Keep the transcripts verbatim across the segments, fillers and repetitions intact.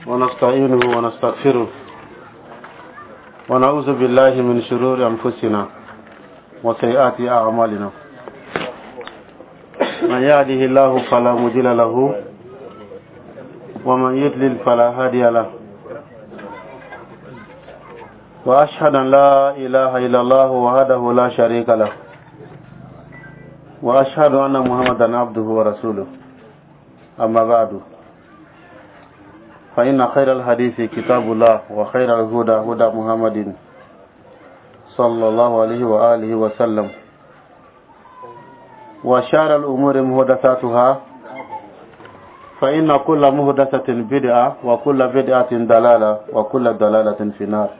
ونستعينه ونستغفره ونعوذ بالله من شرور أنفسنا وسيئات أعمالنا. من يهده الله فلا مضل له ومن يضلل فلا هادي له. وأشهد أن لا إله إلا الله وحده لا شريك له وأشهد أن محمدا عبده ورسوله. أما بعد، فإن خير الحديث كتاب الله، وخير الهدى هدى محمد صلى الله عليه وآله وسلم، وشار الأمور محدثاتها، فإن كل محدثة بدعة وكل بدعة ضلالة وكل ضلالة في النار.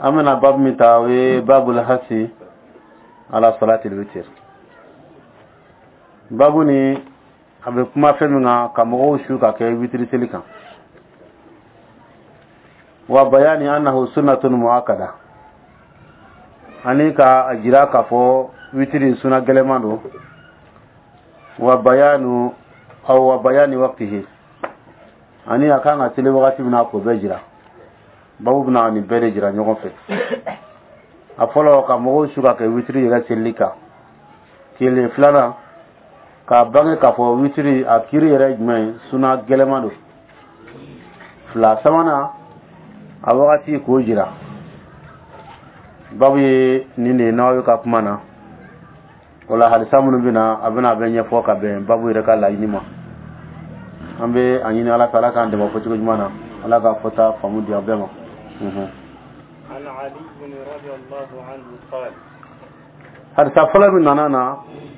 أمنا باب متاوي باب الحث على صلاة الوتر. Babu ni a bɛ kuma fɛn min kan, ka mɔgɔw su ka kɛ witiri seli kan, wa bayani annahu sunnatun muakkada, ani ka a jira k'a fɔ witiri suna gɛlɛman don, wa bayanu aw wa bayani waqtihi, ani a kan ka seli wagati min na, k'o bɛɛ jira. Babu bɛna nin bɛɛ de jira ɲɔgɔn fɛ. A fɔlɔ, ka mɔgɔw su ka kɛ witiri yɛrɛ selili kan kelen. Filanan, k'a bange k'a fɔ witiri a kiri yɛrɛ jumɛn ye, suna gɛlɛman don fila. Sabanan, a wagati k'o jira. Babu ye nin de ye n'aw ka kuma na. O la, hadisa minnu bɛ na, a bɛna a bɛ ɲɛfɔ ka bɛn babu yɛrɛ ka laɲini ma. An bɛ a ɲini Ala fɛ, Ala k'an dɛmɛ fɔcogo ɲuman na, Ala ka fɔta faamu di an bɛɛ ma. عن علي رضي الله عنه قال: Hadisa fɔlɔ min nana na,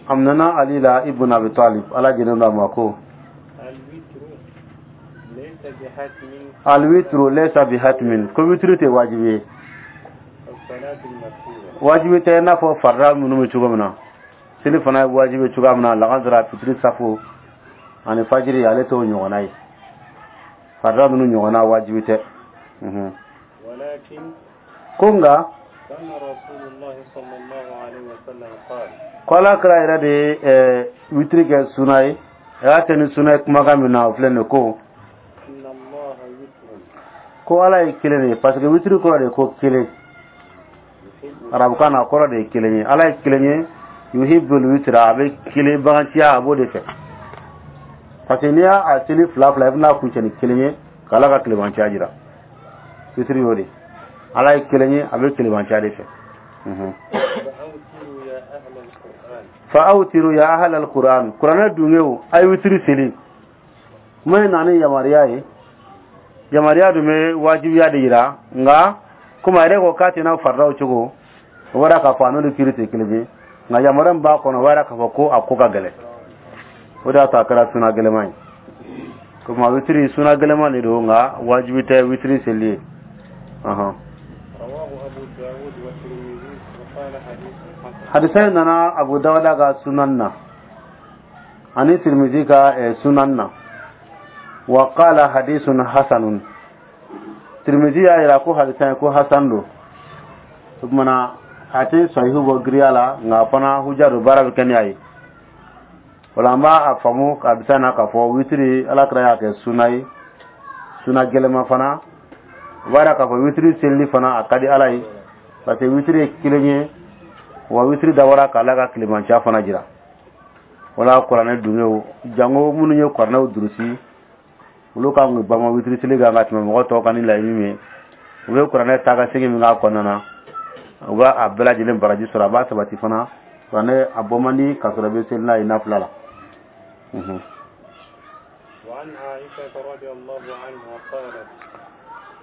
a nana Ali la ibn Abi Talib, Ala jɛnen don a ma, ko: الوتر ليس بحتم الوتر ليس بحتم, ko witiri tɛ wajibi ye. الصلاة المكتوبة. Wajibi tɛ i n'a fɔ farida minnu bɛ cogo min na, seli fana ye wajibi cogoya min na, lagansara, fitiri, safo ani fajiri, ale t'o ɲɔgɔnna ye. Farida ninnu ɲɔgɔnna wajibi tɛ. Mhm. ولكن Ko nka كان رسول الله صلى الله عليه وسلم قال: ko Ala kira yɛrɛ de ye ɛɛ witiri kɛ suna ye. A y'a kɛ ni suna ye kumakan min na, o filɛ nin ye, ko: إن الله وتر Ko Ala ye kelen de ye, parce que witiri kɔrɔ de ye ko kelen. يحب Arabukan na, a kɔrɔ de ye kelen ye. Ala ye kelen ye, يحب الوتر, a bɛ kelen baganciya, a b'o de fɛ, parce que n'i y'a seli fila fila, i bɛna kuncɛ ni kelen ye ka Ala ka tilebanciya jira. Witiri y'o de, Ala ye kelen ye, a bɛ tilebanciya de fɛ. Mhm. فأوتروا يا أهل القرآن. فأوتروا يا أهل القرآن, kuranɛ dungew, a ye witiri seli. Kuma in na ni yamaruya ye, yamaruya dun bɛ wajibiya de yira. Nka komi a yɛrɛ ko k'a tɛna faridaw cogo, o b'a k'a fɔ a n'olu kiiri tɛ kelen ye. Nka yamaruya min b'a kɔnɔ, o b'a k'a fɔ ko a ko ka gɛlɛn, o de y'a to a kɛra suna gɛlɛman ye. Komi a witiri suna gɛlɛman de don, nka wajibi tɛ witiri seli ye. Ɔhɔn. رواه أبو داود والترمذي وقال حديث حسن. Hadisa in nana Abu Dawuda ka sunan na ani Tirmizi ka eh, sunan na. وقال حديث حسن. Tirmizi y'a yira ko hadisa in ko hasan don. O kumana a tɛ sahihu bɔ giriya la, nka fana huja don, baara bɛ kɛ ni a ye. O la, an b'a a faamu hadisa in na k'a fɔ witiri, Ala kira y'a kɛ suna ye, suna gɛlɛma fana. O b'a yira k'a fɔ witiri selili fana a ka di Ala ye, parce que witiri ye kelen ye, wa witiri dabɔra k'Ala ka tilemanciya fana jira. Wala kuranɛ dungew, jango minnu ye kuranɛw durusi, olu kan k'u bama witiri seli kan ka tɛmɛ mɔgɔ tɔw kan ni laɲini min ye. U bɛ kuranɛ taa ka segin min k'a kɔnɔna na, u b'a a bɛɛ lajɛlen baraji sɔrɔ. A b'a sabati fana, kuranɛ a bɔ man di k'a sɔrɔ i bɛ seli n'a ye nafila la. Mhm. وعن عائشة رضي الله عنها قالت: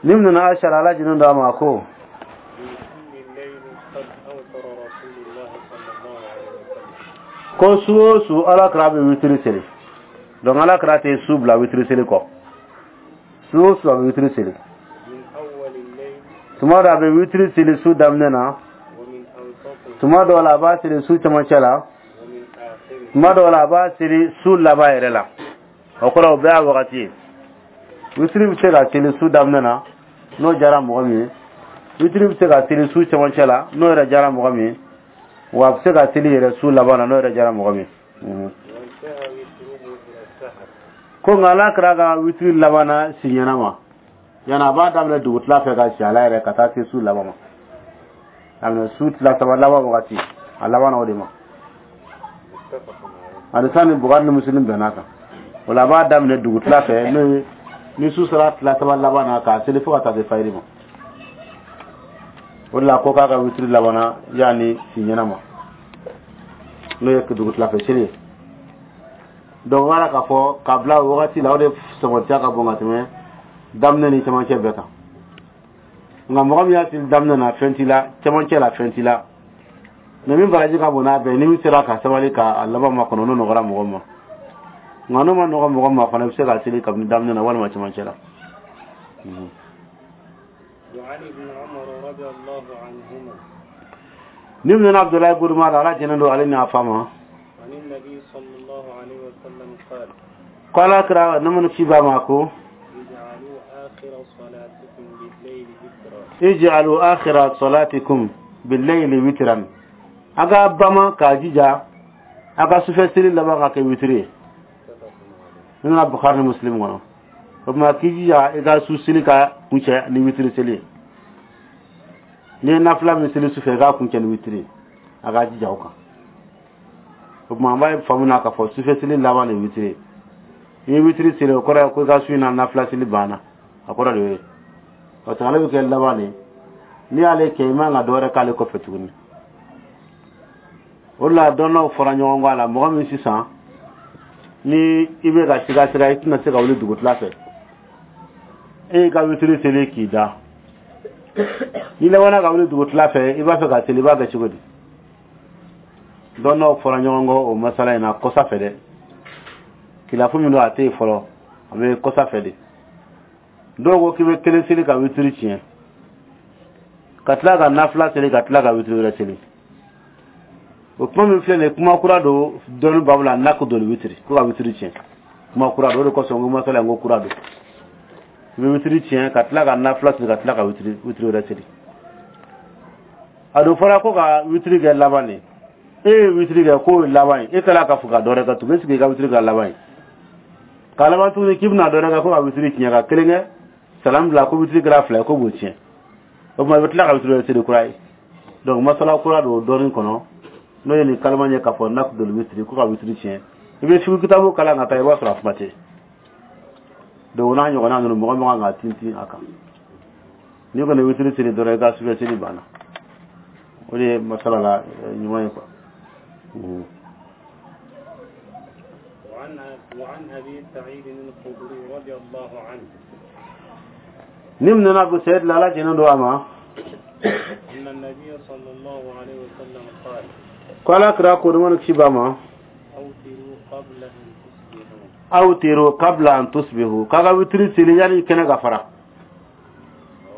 Ni nana Aisha, Ala jinin da ma, ko: من كل الليل قد أوتر رسول الله صلى الله عليه وسلم. Ko su o su, Ala kira bɛ witiri seli. Donc Ala kira tɛ su bila witiri seli kɔ. Su o su, a bɛ witiri seli. من أول الليل Tuma dɔ, a bɛ witiri seli su daminɛ na. ومن أوسطه Tuma dɔw la, a b'a seli su cɛmancɛ la. ومن آخره. Tuma dɔw la, a b'a seli su laban yɛrɛ la. O kɔrɔ, o bɛɛ y'a wagati ye. Witiri bɛ se ka seli su daminɛ na, n'o diyara mɔgɔ min ye. Witiri bɛ se ka seli su cɛmancɛ la, n'o yɛrɛ diyara mɔgɔ min ye. Wa a bɛ se ka seli yɛrɛ su laban na, n'o yɛrɛ diyara mɔgɔ min ye. وانتهى وتره إلى السحر. Ko nka Ala kira ka witiri labanna siɲɛna ma, yani a b'a daminɛ dugutila fɛ ka si ala yɛrɛ ka taa se su laban ma, a minɛ su tila saba laban wagati, a laban na o de ma. متفق عليه. Hadisa ni Bukhari ni Muslim bɛn'a kan. O la, a b'a daminɛ dugutila fɛ, n'o ye ni su sera tila saba laban na, k'a seli fo ka taa se fayiri ma. O de la, ko k'a ka witiri labanna yanni siɲɛna ma, n'o ye dugutila fɛ seli ye. Donc o b'a la k'a fɔ k'a bila o wagati la, o de sɔgɔtiya ka bon ka tɛmɛ daminɛ ni cɛmancɛ bɛɛ kan. Nka mɔgɔ min y'a seli daminɛ na, fɛn t'i la, cɛmancɛ la, fɛn t'i la. Mɛ min baraji ka bon n'a bɛɛ, ni min sera ka sabali k'a laban ma kɔnɔ, n'o nɔgɔra mɔgɔ ma. Nka n'o ma nɔgɔ mɔgɔ ma fana, i bɛ se ka seli kabini daminɛ na walima cɛmancɛ la. Mhm. وعن ابن عمر رضي الله عنهما Ni minɛna Abudulayi bun Umar, Ala jɛnnen don ale ni a fa ma, عن النبي صلى الله عليه وسلم قال: ko Ala kira ne ci ba ma ko: اجعلوا آخر صلاتكم بالليل وترا. اجعلوا آخر صلاتكم بالليل وترا. A ka bama k'a jija a ka sufɛ seli laban ka kɛ witiri ye. متفق عليه. Ni nana Bukhari ni Muslim kɔnɔ. O tuma, k'i jija i ka su seli ka kuncɛ ni witiri seli ye. N'i ye nafila min seli sufɛ, i k'a kuncɛ ni witiri ye, a k'a jija o kan. O tuma, an b'a faamu na k'a fɔ sufɛ seli laban de ye witiri ye. N'i ye witiri seli, o kɔrɔ ye ko i ka su in na nafila seli banna, a kɔrɔ de y'o ye, parce que ale bɛ kɛ laban de ye. N'i y'ale kɛ, i man ka dɔ wɛrɛ k'ale kɔfɛ tuguni. O de la, dɔnnaw fɔra ɲɔgɔn kɔ a la. Mɔgɔ min sisan ni i bɛ ka siga siga, i tɛna se ka wuli dugutila fɛ, e y'i ka witiri seli k'i da, n'i labanna ka wuli dugutila fɛ, i b'a fɛ ka seli, i b'a kɛ cogo di? Dɔnnaw fɔra ɲɔgɔn kɔ o masala in na kɔsa fɛ dɛ. Kilafu min don, a tɛ yen fɔlɔ, a bɛ kɔsa fɛ de. Dɔw ko k'i bɛ kelen seli ka witiri tiɲɛ, ka tila ka nafila seli, ka tila ka witiri wɛrɛ seli. O kuma min filɛ nin ye, kuma kura don dɔnni babu la. نقض الوتر, ko ka witiri tiɲɛ, kuma kura don. O de kosɔn n ko masala in ko kura don. I bɛ witiri tiɲɛ ka tila ka nafila seli, ka tila ka witiri witiri wɛrɛ seli. A don fɔra ko ka witiri kɛ laban de. E ye witiri kɛ k'o ye laban ye, e tilala ka fɔ ka dɔ wɛrɛ kɛ tugun. Est ce que i ka witiri kɛ laban ye k'a laban tuguni k'i bɛna dɔ wɛrɛ kɛ, ko ka witiri tiɲɛ ka kelen kɛ, salam bila, ko witiri kɛra fila ye, ko b'o tiɲɛ? O tuma, i bɛ tila ka witiri wɛrɛ seli kura ye. Donc masala kura don dɔɔnin kɔnɔ, n'o ye nin kalama ye k'a fɔ نقض الوتر, ko ka witiri tiɲɛ. I bɛ fiqh kitabu kalan ka taa, i b'a sɔrɔ a kuma tɛ. Donc o n'a ɲɔgɔnna ninnu, mɔgɔ min kan ka tintin a kan, n'i kɔni ye witiri seli dɔrɔn, i ka sufɛ seli banna. O de ye masala la eh, ɲuman ye quoi. Mhm. وعن وعن أبي سعيد الخدري رضي الله عنه Ni min nana Abu Sa'id la, Ala jɛnnen don a ma, أن النبي صلى الله عليه وسلم قال: ko Ala kira ko ni kisi b'a ma: أوتروا قبل أن تصبحوا. أوتروا قبل أن تصبحوا, k'a ka witiri seli yanni kɛnɛ ka fara.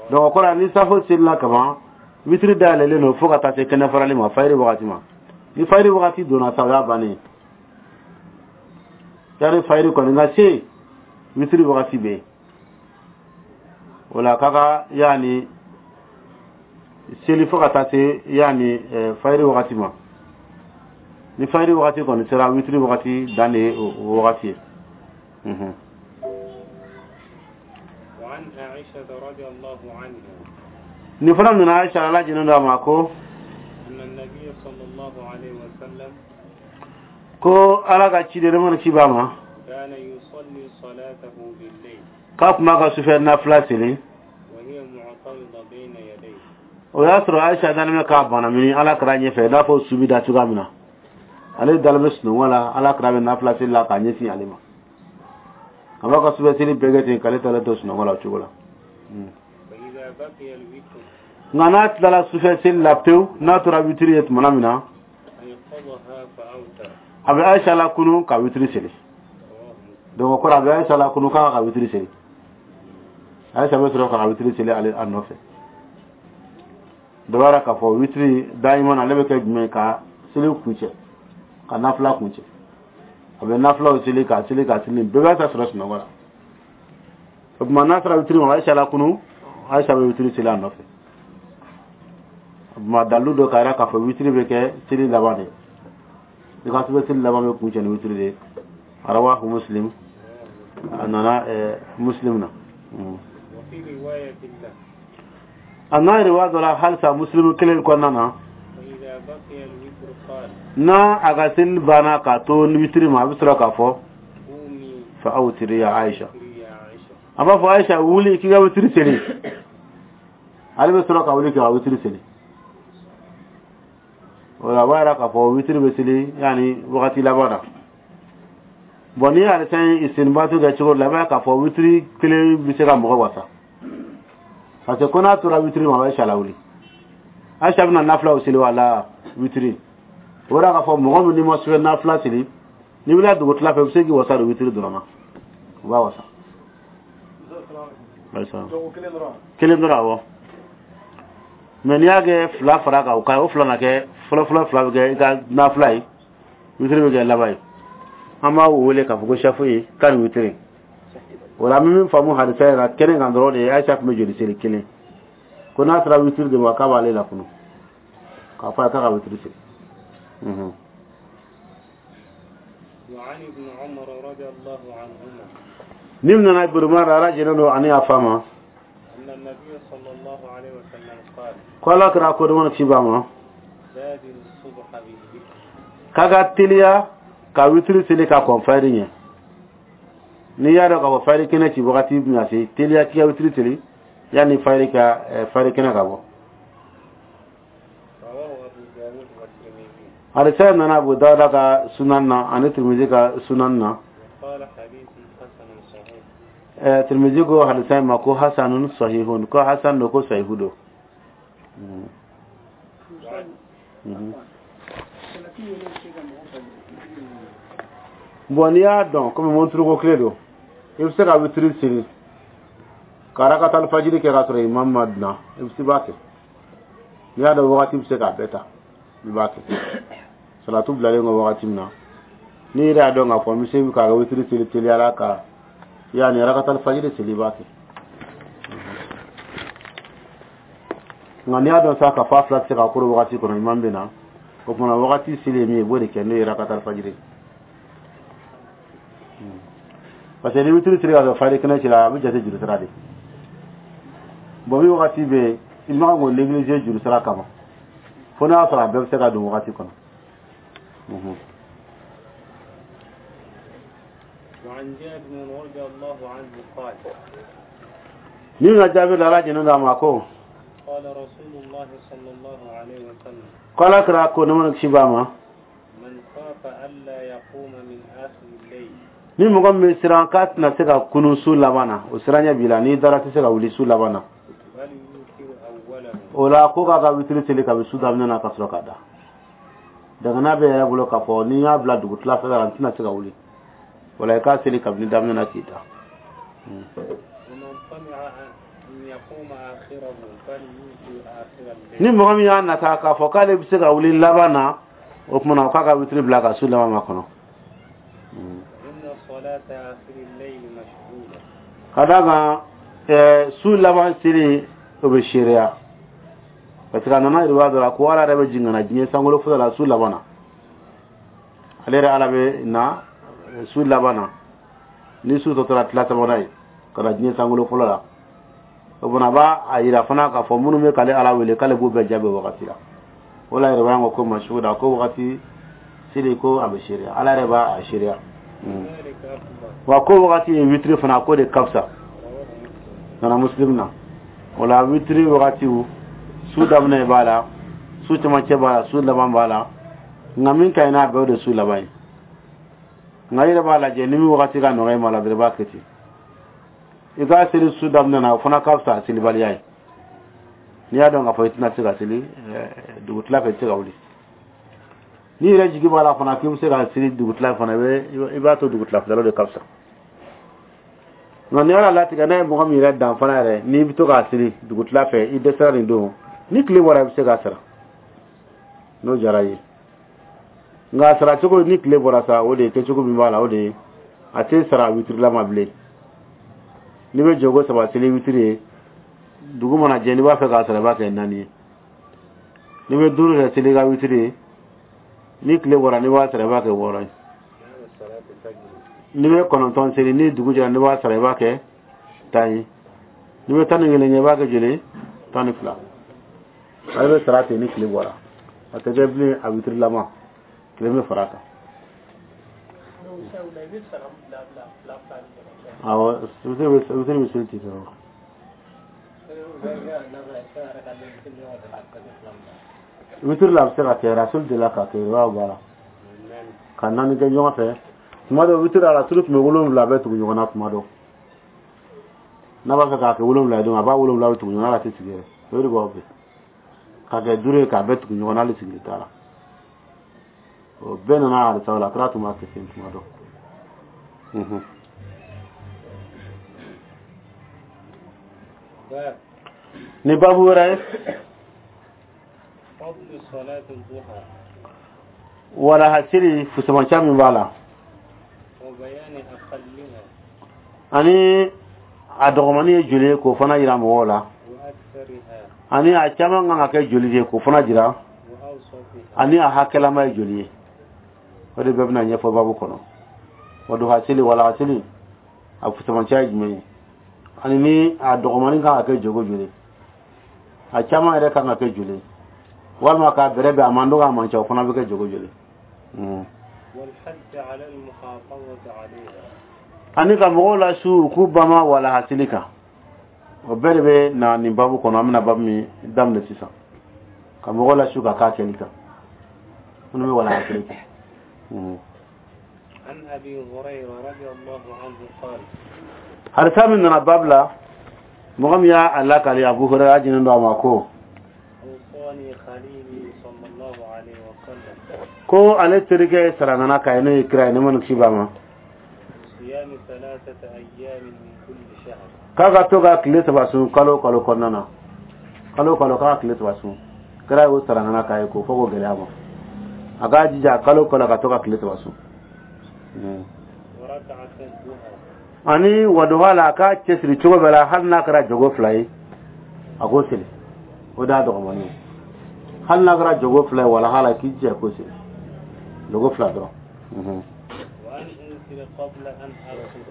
Donc o kɔrɔ, ni safo selila kaban, witiri dayɛlɛlen don fo ka taa se kɛnɛ farali ma, fayiri wagati ma. Ni fayiri wagati donna sa, o y'a bannen ye. Yani fayiri kɔni ka se, witiri wagati bɛ yen. O la, k'a ka yani seli fo ka taa se yani eh, fayiri wagati ma. Ni fayiri wagati kɔni sera, witiri wagati dan de ye o o wagati ye. Mhm. وعن عائشة رضي الله عنها Nin fana nana Aisha, Ala jɛnnen don a ma, ko أن النبي صلى الله عليه وسلم ko Ala ka ciden mana ci b'a ma كان يصلي صلاته بالليل k'a tun b'a ka sufɛ nafila seli وهي معترضة بين يديه. O y'a sɔrɔ Aisha dalen bɛ k'a bana mini Ala kira ɲɛfɛ, i n'a fɔ su bɛ da cogoya min na. Ale dalen bɛ sunɔgɔ la, Ala kira bɛ nafila seli la k'a ɲɛsin ale ma. A b'a ka sufɛ seli bɛɛ kɛ ten k'ale talen to sunɔgɔ la o cogo la. فإذا بقي الوتر Nka n'a tilala sufɛ seli la pewu, n'a tora witiri ye tumana min na, أيقظها فأوتر. a bɛ Aisha la kunu ka witiri seli. رواه مسلم. Donc o kɔrɔ, a bɛ Aisha la kunu k'a ka witiri seli. Aisha bɛ sɔrɔ ka witiri seli ale a nɔfɛ. Dɔ b'a la k'a fɔ witiri dayiman, ale bɛ kɛ jumɛn? Ka seli kuncɛ, ka nafila kuncɛ. A bɛ nafilaw seli k'a seli k'a seli, bɛɛ b'a ta sɔrɔ sunɔgɔ la. O tuma, n'a sera witiri ma, Aisha la kunu, Aisha bɛ witiri seli a nɔfɛ. O tuma, dalilu dɔ k'a yira k'a fɔ witiri bɛ kɛ seli laban de ye. I ka sufɛ seli laban bɛ kuncɛ ni witiri de ye. رواه مسلم. A nana Muslim na. وفي رواية له A n'a riwaya dɔ la halisa Muslim kelen kɔnɔna na. وإذا بقي الوتر قال N'a a ka seli banna k'a to witiri ma, a bɛ sɔrɔ k'a fɔ: قومي فأوتري يا عائشة. يا عائشة. A b'a fɔ: Aisha, wuli k'i ka witiri seli. Ale bɛ sɔrɔ ka wuli k'i ka witiri seli. O la, a b'a yira k'a fɔ witiri bɛ seli yanni wagati laban na. Bon, n'i y'ale fɛn istinbatu kɛ cogo dɔ la, i b'a ye k'a fɔ witiri kelen bɛ se ka mɔgɔ wasa, parce que ko n'a tora witiri ma, a bɛ Aisha lawuli. Aisha bɛna nafilaw seli wala witiri. O b'a yira k'a fɔ mɔgɔ min n'i ma sufɛ nafila seli, n'i wulila dugutila fɛ, i bɛ se k'i wasa don witiri dɔrɔn na, o b'a wasa. Kelen dɔrɔn, awɔ. Mɛ n'i y'a kɛ fila fara kan, o ka o fila na kɛ fɔlɔ fɔlɔ, fila bɛ kɛ i ka nafila ye, witiri bɛ kɛ laban ye. An b'a wele k'a fɔ ko safu ye kan ni witiri. O la, an bɛ min faamu hadisa yɛrɛ la kɛnɛ kan dɔrɔn de ye, Ayisa tun bɛ joli seli? Kelen. Ko n'a sera witiri de ma, k'a b'ale lakunu k'a fɔ a ye k'a ka witiri seli. وعن ابن عمر رضي الله عنهما Ni nana Ibn Umar, ala jɛnnen don ani a fa ma، أن النبي صلى الله عليه وسلم قال ko ala kɛra ko dama ci ba ma، بادروا الصبح بالوتر. K'a ka teliya ka witiri seli ka kɔn fayiri ɲɛ. N'i y'a dɔn k'a fɔ fayiri kɛnɛ ci wagati bɛna se, teliya k'i ka witiri seli yanni fayiri ka fayiri kɛnɛ ka bɔ. رواه أبو داود والترمذي. Hadisa nana Abu Dawuda ka sunan na ani Tirmizi ka sunan na. وقال حديث حسن صحيح. eh, Tirmizi ko hadisa ma ko hasanun sahihun, ko hasan do, ko sahihu do. وعن Mhm. Bon, n'i y'a dɔn komi monturu ko tile don, i bɛ se ka witiri seli ka rakatal fajiri kɛ ka sɔrɔ imam ma na, i bɛ se b'a kɛ. N'i y'a dɔn wagati bɛ se k'a bɛɛ ta, i b'a kɛ salatu bilalen kɔ wagati min na. N'i yɛrɛ y'a dɔn k'a fɔ n bɛ se k'a ka witiri seli teliyara ka yanni rakatal fajiri seli, i b'a kɛ. Nka n'i y'a dɔn sa k'a fɔ a fila tɛ se ka koro wagati kɔnɔ, imam bɛ na, o tuma wagati seli ye min ye, i b'o de kɛ, n'o ye rakatal fajiri. Parce que ni witiri seli ka sɔrɔ fajiri kɛnɛ ci la, a bɛ jate juru sira de. Bon, min wagati bɛ yen, i man kan k'o négliger juru sira kama, fo n'a y'a sɔrɔ a bɛɛ bɛ se ka don wagati kɔnɔ. Mhm. وعن جابر رضي الله عنه قال Ni na jaabi la, ala jɛnɛ d'a ma ko قال رسول الله صلى الله عليه وسلم ko ala kɛra ko ne mana kisi b'a ma، من خاف ألا يقوم من آخر الليل ni mɔgɔ min bɛ siran k'a tɛna se ka kunun su laban na, o siran ɲɛ b'i la, n'i dara tɛ se ka wuli su laban na، فليوتر أوله. O la, ko k'a ka witiri seli kabi su daminɛ na ka sɔrɔ ka da. Dangana bɛ yɛrɛ bolo k'a fɔ ni n y'a bila dugutila fɛ la, n tɛna se ka wuli. O la, i k'a seli kabini daminɛ na k'i da. ومن طمع أن يقوم آخره فليوتر آخر Ni الليل. mɔgɔ min y'a nata k'a fɔ k'ale bɛ se ka wuli laban na, o tuma na o k'a ka witiri bila ka su laban ma kɔnɔ. إن صلاة آخر الليل مشهودة. Ka d'a kan ɛɛ su laban seli, o bɛ seereya, parce que a nana yiriwa dɔ la ko ala yɛrɛ bɛ jigin ka na diɲɛ sankolo fɔlɔ la su laban na. Ale yɛrɛ ala bɛ na su laban na, ni su tɔ tora tila sabanan ye, ka na diɲɛ sankolo fɔlɔ la. O fana b'a a yira fana k'a fɔ minnu bɛ k'ale ala wele, k'ale b'u bɛɛ jaabi o wagati la. O la yɛrɛ b'a ko masuda ko wagati seli ko a bɛ seereya, ala yɛrɛ b'a a seereya. ذلك أفضل. Wa ko wagati ye witiri fana ko de ka fisa. رواه مسلم. Nana Muslim na. O la, witiri wagatiw, su daminɛ b'a la, su cɛmancɛ b'a la, su laban b'a la. Nka min ka ɲi n'a bɛɛ, o de su laban ye. Nka i yɛrɛ b'a lajɛ, ni min wagati ka nɔgɔ i ma la dɔrɔn, i b'a kɛ ten. I k'a seli su daminɛ na, o fana ka fisa selibaliya ye. N'i y'a dɔn k'a fɔ i tɛna se ka seli dugutila fɛ, i tɛ se ka wuli, n'i yɛrɛ jigi b'a la fana k'i bɛ se ka seli dugutila fana, i bɛ i b'a to dugutila fɛ, o de ka fisa. Nka ni ala latigɛ n'a ye mɔgɔ min yɛrɛ dan fana yɛrɛ, n'i bɛ to k'a seli dugutila fɛ, i dɛsɛra nin don, ni tile bɔra, i bɛ se k'a sara n'o diyara i ye. Nka a sara cogo ni tile bɔra sa, o de ye kɛcogo min b'a la, o de ye a tɛ sara witirilama bilen. N'i bɛ jɔko saba seli witiri ye, dugu mana jɛ, n'i b'a fɛ k'a sara, i b'a kɛ naani ye. N'i bɛ duuru yɛrɛ seli i ka witiri ye, ni tile bɔra, n'i b'a sara, i b'a kɛ wɔɔrɔ ye. N'i bɛ kɔnɔntɔn seli, ni dugu jɛra, n'i b'a sara, i b'a kɛ tan ye. N'i bɛ tan ni kelen kɛ, i b'a kɛ joli? Tan ni fila. Ale bɛ sara ten ni tile bɔra, a tɛ kɛ bilen a witirilama, tile bɛ fara a kan. Donc, i bɛ sara bila bila fila fila ni ɲɔgɔn cɛ. Awɔ, witiri bɛ witiri bɛ seli ten dɔrɔn. Bɛ Witiri la, a bɛ se ka kɛ rasul de la k'a kɛ, i b'a bɔ a la ka naani kɛ ɲɔgɔn fɛ. Tuma dɔ, witiri la, rasulu tun bɛ wolonwula bɛɛ tugu ɲɔgɔn na. Tuma dɔ, n'a b'a fɛ k'a kɛ wolonwula ye don, a b'a wolonwula bɛ tugu ɲɔgɔn na, a tɛ sigi yɛrɛ. O de b'aw fɛ k'a kɛ duuru ye, k'a bɛɛ tugu ɲɔgɔn na, hali sigili t'a la. O bɛɛ nana hadisaw la, kira tun b'a kɛ ten tuma dɔ. Mhm. باب Ni babu wɛrɛ ye. فضل صلاة الضحى. Walahasiri fusamanca min b'a la. وبيان أقلها. Ani a dɔgɔmani ye joli ye, k'o fana yira mɔgɔw la. وأكثرها. Ani a caman kan ka kɛ joli de ye, k'o fana jira. وأوسطها. Ani a hakɛlama ye joli ye, o de bɛɛ bɛna ɲɛfɔ babu kɔnɔ. Wa duhasili, walahasili, a fusamanciya ye jumɛn ye, ani ni a dɔgɔmani kan ka kɛ jogo joli, a caman yɛrɛ kan ka kɛ joli, walima k'a bɛrɛ bɛn, a man dɔgɔ, a man ca, o fana bɛ kɛ jogo joli. Mm. والحث على المحافظة عليها. Ani ka mɔgɔw lasu u k'u bama walahasili kan, o bɛɛ de bɛ na nin babu kɔnɔ. An bɛna babu min daminɛ sisan, ka mɔgɔw lasu ka k'a kɛli kan, minnu bɛ walahasili kɛ. Mm. عن أبي هريرة رضي الله عنه قال: Hadisa min nana babu la, mɔgɔ min y'a lakali, Abu Hurayra jinen don a ma, ko: أوصاني خليلي صلى الله عليه وسلم ko ale terikɛ sarangana k'a ye, n'o ye kira ye, ne ma ni kisi b'a ma, بصيام ثلاثة أيام من كل شهر. k'a ka to ka tile saba sun kalo o kalo kɔnɔna na, kalo o kalo k'a ka tile saba sun. Kira y'o sarangana k'a ye, k'o fɔ k'o gɛlɛya ma, a k'a jija kalo o kalo ka to ka tile saba sun. Mm. وركعة الضحى. Ani waduha la, a k'a cɛsiri cogo bɛɛ la, hali n'a kɛra jogo fila ye, a k'o seli, o de y'a dɔgɔmani ye. Hali n'a kɛra jogo fila ye walaha la, k'i jija k'o seli jogo fila dɔrɔn. Mhm. وأن أوتر قبل أن أرقد.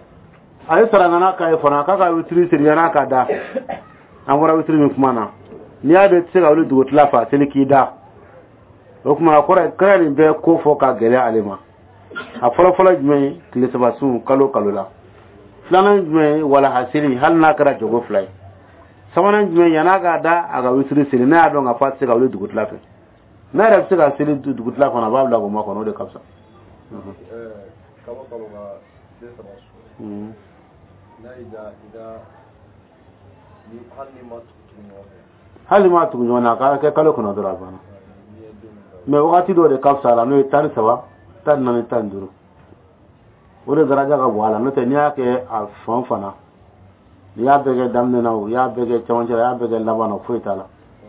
A ye sarangana k'a ye fana k'a ka witiri seli yan'a ka da. An bɔra witiri min kuma na, n'i y'a dɔn i tɛ se ka wuli dugutila fɛ, a seli k'i da. O tuma, a kɔrɔ ye kira nin bɛɛ ko fɔ ka gɛlɛya ale ma. A fɔlɔ fɔlɔ jumɛn ye? Tile saba sun kalo kalo la. Filanan jumɛn ye? Walaha seli, hali n'a kɛra jogo fila ye. Sabanan jumɛn? Yan'a ka da, a ka witiri seli, n'a y'a dɔn k'a fɔ a tɛ se ka wuli dugutila fɛ. N'a yɛrɛ bɛ se ka seli dugutila kɔnɔ, a b'a bila k'o makɔnɔ, o de ka fisa. Mhm. Kalo kalo ka tile saba sun, Mhm. n'a y'i da i ka ni hali ni ma tugu tugu ɲɔgɔn fɛ? Hali ma tugu ɲɔgɔn na, a ka kɛ kalo kɔnɔ dɔrɔn, a banna. N'i ye don min da. Mɛ wagati dɔw de ka fisa a la, n'o ye tan ni saba, tan ni naani, tan ni duuru, o de daraja ka bon a la. N'o tɛ, n'i y'a kɛ a fan fana, n'i y'a bɛɛ kɛ daminɛ na, o y'a bɛɛ kɛ cɛmancɛ la, i y'a bɛɛ kɛ laban na, foyi t'a la.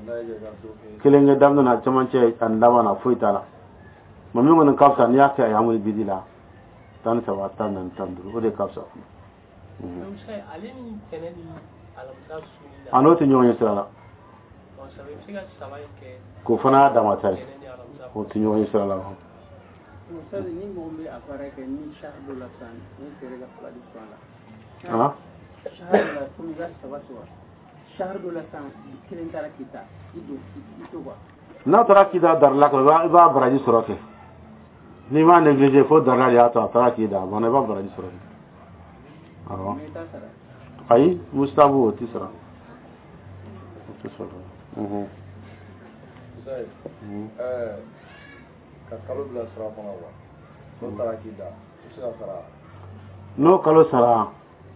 N'a y'i ka dɔ kɛ. Kelen kɛ daminɛ na, cɛmancɛ ani laban na, foyi t'a la. Mɛ min kɔni ka fisa, n'i y'a kɛ a yamuli bidi la, tan ni saba, tan ni naani, tan ni duuru, o de ka fisa. Mhm. Donc ça, ale ni tɛnɛ ni alamisa sunni na. A n'o tɛ ɲɔgɔn ye sira la. Bon, ça i bɛ se ka saba in kɛ. K'o fana y'a dama ta ye. Tɛnɛ ni alamisa. O tɛ ɲɔgɔn ye sira la. Ustaz, ni mɔgɔ min bɛ a baara kɛ ni shahar dɔ la sisan, ni feere ka fila di kuran la. Ah? Shahar dɔ la, komi i ka saba sɔrɔ shahar dɔ la sisan, kelen taara k'i ta i don i to quoi. N'a taara k'i da darila kan, i b'a i b'a baraji sɔrɔ kɛ. N'i m'a négligé fo darila de y'a to a taara k'i da, a banna, i b'a baraji sɔrɔ kɛ, awɔ. Mais i t'a sara. Ayi, mustabu, o tɛ sara, o tɛ sara. Mhm. Ustaz, Mhm. ɛɛ ka kalo bila sira kɔnɔ wa, n'o taara k'i da, i bɛ se ka sara? N'o kalo sara.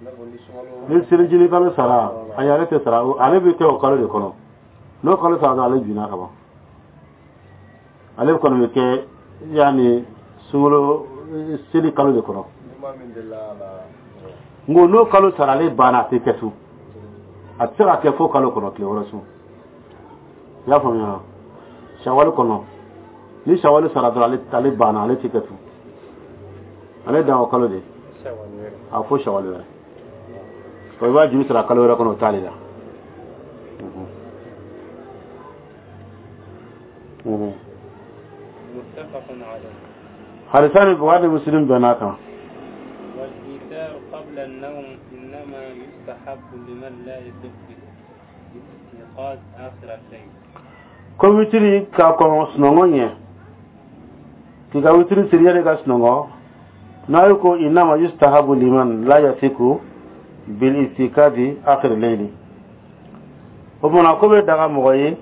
I n'a fɔ ni sunkalo. Ni selijini kalo sara, ayi, ale tɛ sara. Ale bɛ kɛ o kalo de kɔnɔ. N'o kalo sara dɔrɔn, ale binna ka ban. Ale kɔni bɛ kɛ yanni sunkalo seli kalo de kɔnɔ. Ni maa min delila a la. N ko n'o kalo sara, ale banna, a tɛ kɛ tun, a tɛ se ka kɛ fo kalo kɔnɔ tile wɛrɛ sun. I y'a faamuya? Sawali kɔnɔ, ni sawali sara dɔrɔn, ale ale banna, ale tɛ kɛ tun, ale dan o kalo de. Sawali wɛrɛ. A fo sawali wɛrɛ o, i b'a juru sara kalo wɛrɛ kɔnɔ, o t'ale la. Mhm. Mhm. متفق عليه. Hadisa ni Bukhari ni Muslim bɛnn'a kan. قبل النوم إنما يستحب لمن لا يثق بالاستيقاظ آخر الليل. Ko witiri ka kɔn sunɔgɔ ɲɛ, k'i ka witiri siri yanni ka sunɔgɔ n'a ye, ko إنما يستحب لمن لا يثق بالاستيقاظ آخر الليل. O kumana ko bɛ daga mɔgɔ ye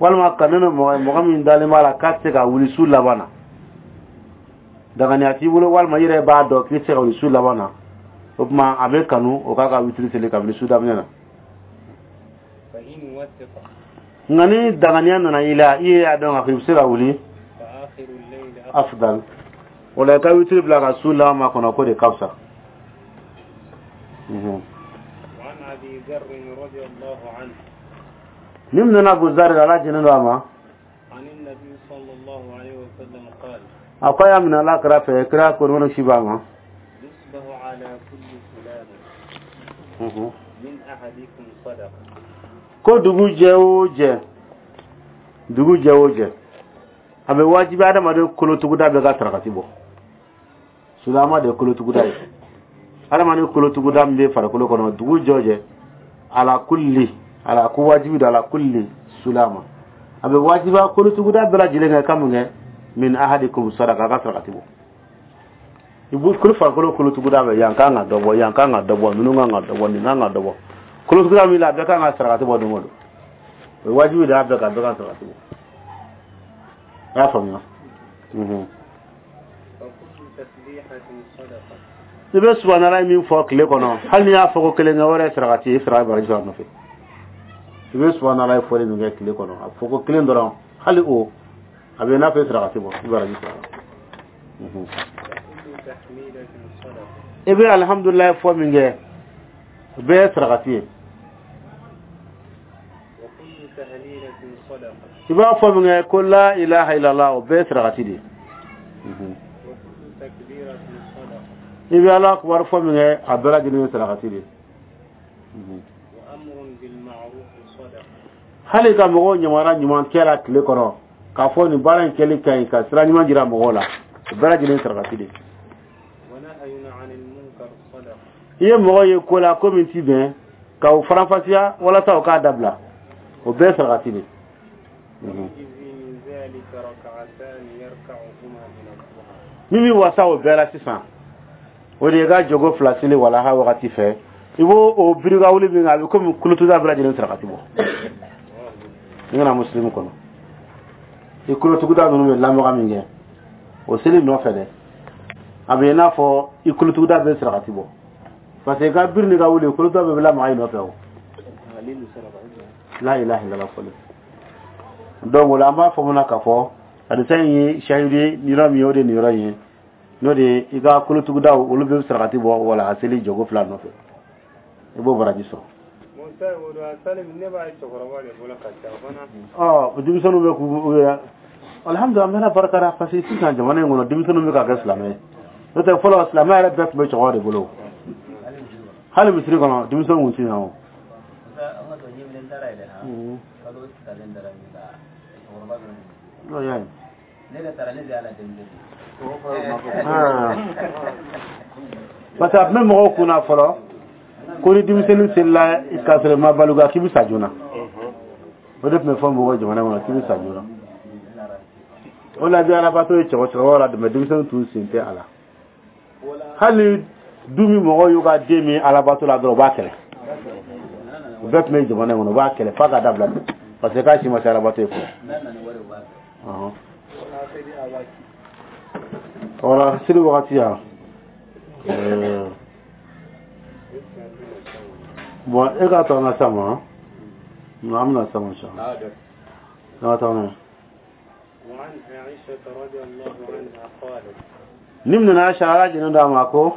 walima kanu bɛ mɔgɔ ye, mɔgɔ min dalen b'a la k'a tɛ se ka wuli su laban na, daganiya t'i bolo walima i yɛrɛ b'a dɔn k'i tɛ se ka wuli su laban na, o tuma a bɛ kanu o k'a ka witiri seli kabini su daminɛ na. فإن وثق Nka ni daganiya nana i la, i yɛrɛ y'a dɔn k'a fɔ i bɛ se ka wuli, فآخر الليل أفضل. أفضل. O la i ka witiri bila ka su laban ma kɔnɔ, ko de ka fisa. Mhm. وعن أبي ذر رضي الله عنه Ni min nana Abu Zar, Ala jɛnnen don a ma, عن النبي صلى الله عليه وسلم قال: a ko a y'a minɛ Ala kira fɛ, kira ko nɔnɔ si b'a ma. يصبح على كل سلامة Mhm. من أحدكم صدقة. Ko dugu jɛ o jɛ, dugu jɛ o jɛ, a bɛ wajibi adamaden kolotuguda bɛɛ ka sarakati bɔ. Sulama de ye kolotuguda ye, adamaden kolotuguda min bɛ farikolo kɔnɔ, dugu jɛ o jɛ, على كل على ko wajibi don على كل سلامة, a bɛ wajiba kolotuguda bɛɛ lajɛlen kɛ ka mun kɛ? من أحدكم صدقة, a ka sarakati bɔ. I b'u kolo farikolo kolotuguda bɛ yan kan ka dɔ bɔ, yan kan ka dɔ bɔ, ninnu kan ka dɔ bɔ, nin kan ka dɔ bɔ. Kolotuguda min la, a bɛɛ kan ka sarakati bɔ don o don. O ye wajibi de y'a bɛɛ kan, bɛɛ ka sarakati bɔ. A y'a faamuya? Mhm. فكل تسبيحة صدقة. I bɛ subhanala min fɔ tile kɔnɔ, hali n'i y'a fɔ ko kelen kɛ, o yɛrɛ ye sarakati ye, i sara baraji sɔrɔ a nɔfɛ. I bɛ subhanala fɔli min kɛ tile kɔnɔ, a fɔ ko kelen dɔrɔn, hali o a bɛ i n'a fɔ i sarakati bɔ, i baraji sɔrɔ a la. Mhm. وكل تحميدة صدقة. I bɛ alihamudulilayi fɔ min kɛ, o bɛɛ ye sarakati ye. وكل تهليلة صدقة. I b'a fɔ min kɛ ko لا إله إلا الله, o bɛɛ ye sarakati de ye. Mhm. وكل تكبيرة صدقة. I bɛ Ala kubar fɔ min kɛ, a bɛɛ lajɛlen ye sarakati de ye. Mhm. وأمر بالمعروف صدقة. Hali ka mɔgɔw ɲamara ɲuman kɛ la tile kɔnɔ, k'a fɔ nin baara in kɛli ka ɲi, ka sira ɲuman jira mɔgɔw la, o bɛɛ lajɛlen ye sarakati de ye. ونهي عن المنكر صدقة. I ye mɔgɔ ye ko la ko min ti bɛn, ka o faranfasiya walasa o k'a dabila, o bɛɛ ye sarakati de ye. Mhm. ويجزي من ذلك ركعتان يركعهما من الضحى. Min bɛ wasa o bɛɛ la sisan, o de ye ka jogo fila seli walaha wagati fɛ, i b'o o birika wuli min kɛ, a bɛ komi kolotuguda bɛɛ lajɛlen sarakati bɔ. I kana Musilimu kɔnɔ, i kolotuguda ninnu bɛ lamaga min kɛ o seli nɔfɛ dɛ, a bɛ i n'a fɔ i kolotuguda bɛ sarakati bɔ, parce que i ka biri n'i ka wuli, kolotuguda bɛɛ bɛ lamaga i nɔfɛ. O لا إله إلا الله fɔlen. Donc o la, an b'a fɔ mun na k'a fɔ hadisa in ye shahidi ye nin yɔrɔ min ye, o de ye nin yɔrɔ in ye, n'o de ye i ka kolotugudaw olu bɛ sarakati bɔ wala a seli jogo fila nɔfɛ, i b'o baraji sɔrɔ. Musa o don a sali ne b'a ye cɛkɔrɔba de bolo ka ca fana. Ɔ, denmisɛnninw bɛ k'u u yɛrɛ, alhamdulilah, an bɛ barika da, parce que sisan jamana in kɔnɔ, denmisɛnninw bɛ ka kɛ silamɛ ye. N'o tɛ, fɔlɔ silamɛ yɛrɛ bɛɛ tun bɛ cɛkɔrɔba de bolo. Hali misiri kɔnɔ, denmisɛnninw tun tɛ na o. An ka dɔn ɲɛminɛ taara yɛrɛ ha kalo talen dara min ka cɛkɔrɔba dɔrɔn de. N'o y'a ye. Ne yɛrɛ taara, ne de y'a la denmisɛnnin. Ah. Parce que a tun bɛ mɔgɔw kunna fɔlɔ ko ni denmisɛnnin selila k'a sɔrɔ i ma balikuya, k'i bɛ sa joona. O de tun bɛ fɔ mɔgɔw jamana kɔnɔ, k'i bɛ sa joona. O la, i bɛ alabato ye cɛkɔrɔbaw la dɛmɛ, denmisɛnnin t'u sen tɛ a la. Hali ni du min mɔgɔw y'u ka den min alabato la dɔrɔn, u b'a kɛlɛ. O bɛɛ tun bɛ jamana in kɔnɔ, u b'a kɛlɛ f'a ka dabila, parce que k'a si ma se alabato ye fɔlɔ. N'a nana ni wari, u b'a fɛ. Ɔhɔn. Wala seli wagati yan. Ɛɛ, bon, e k'a to an ka s'a ma, an bɛna s'a ma inchallah. An ka taa n'a ye. وعن عائشة رضي الله عنها قالت: Ni min nana Aisha, Ala jɛnnen don a ma, ko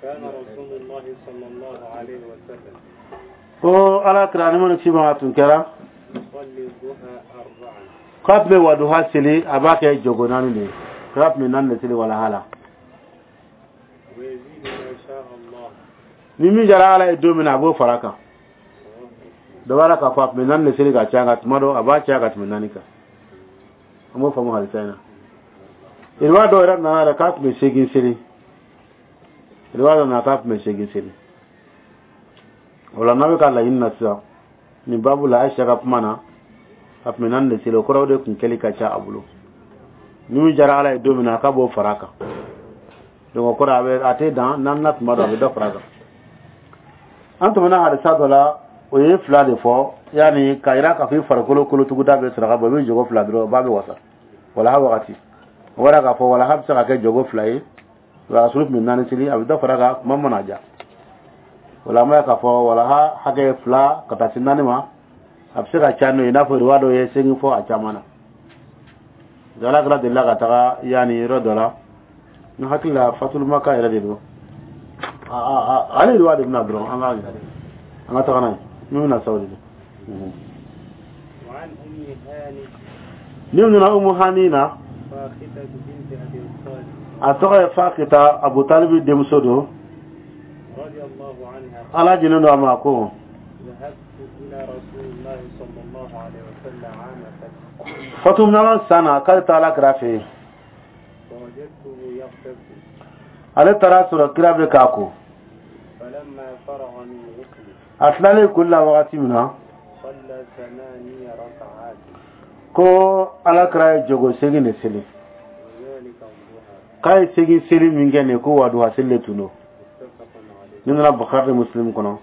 كان رسول الله صلى الله عليه وسلم ko Ala kira ni mana ci ma tun kɛra يصلي الضحى أربعا. K'a tun bɛ waduha seli, a b'a kɛ jogo naani de ye, k'a tun bɛ naani de seli walaha la. ويزيد ما شاء الله. Ni min jara Ala ye don min na, a b'o fara a kan. Dɔ b'a la k'a fɔ a tun bɛ naani de seli ka caya, nka tuma dɔ a b'a caya ka tɛmɛ naani kan. An b'o faamu halisa in na. Iriba dɔw yɛrɛ nana yɛrɛ k'a tun bɛ seegin seli. Riwaya dɔ na, k'a tun bɛ seegin seli. O la, n'a bɛ ka laɲini na sisan nin babu la, Ayisa ka kuma na, a tun bɛ naani de seli. O kɔrɔ, o de tun kɛli ka ca a bolo. Ni min diyara Ala ye don min na, k'a b'o fara a kan. Donc o kɔrɔ, a bɛ a tɛ dan naani na, tuma dɔ a bɛ dɔ fara a kan. An tɛmɛna hadisa dɔ la, o ye fila de fɔ, yanni k'a yira k'a fɔ i farikolo kolotuguda bɛ saraka bɔ, i bɛ jogo fila dɔrɔn, o b'a bɛ wasa walaha wagati. O b'a k'a fɔ walaha bɛ se ka kɛ jogo fila ye. Rasulu tun bɛ naani seli, a bɛ dɔ fara a kan kuma mana ja. O la, an b'a ye k'a fɔ walaha hakɛ fila ka taa se naani ma, a bɛ se ka ca n'o ye, i n'a fɔ riwaya dɔw ye seegin fɔ a caman na. Ala kɛra delila ka taga yanni yɔrɔ dɔ la, n hakili la Fatulumaka yɛrɛ de don. Ale riwaya de bɛna dɔrɔn, an k'a yira, an ka taga n'a ye min bɛna sa, o de don. وعن أم هاني. Ni nana Umu Hani na. فاختة بنت أبي طالب. A tɔgɔ ye Fakita, Abu Talibi denmuso don. رضي الله عنها. Ala jinen don a ma, ko: ذهبت إلى رسول الله صلى الله عليه وسلم عام فتح. Fatumana san na, k'ale taara kira fɛ yen. فوجدته يغتسل. Ale taara sɔrɔ kira bɛ k'a ko. فلما فرغ من غسله، A tilalen koli la wagati min na، صلى ثماني ركعات. ko Ala kira ye jogo segin de seli. وذلك الضحى. K'a ye segin seli min kɛ nin ye, ko waduha seli de tun don. متفق عليه. Ni nana Bukhari ni Muslim kɔnɔ.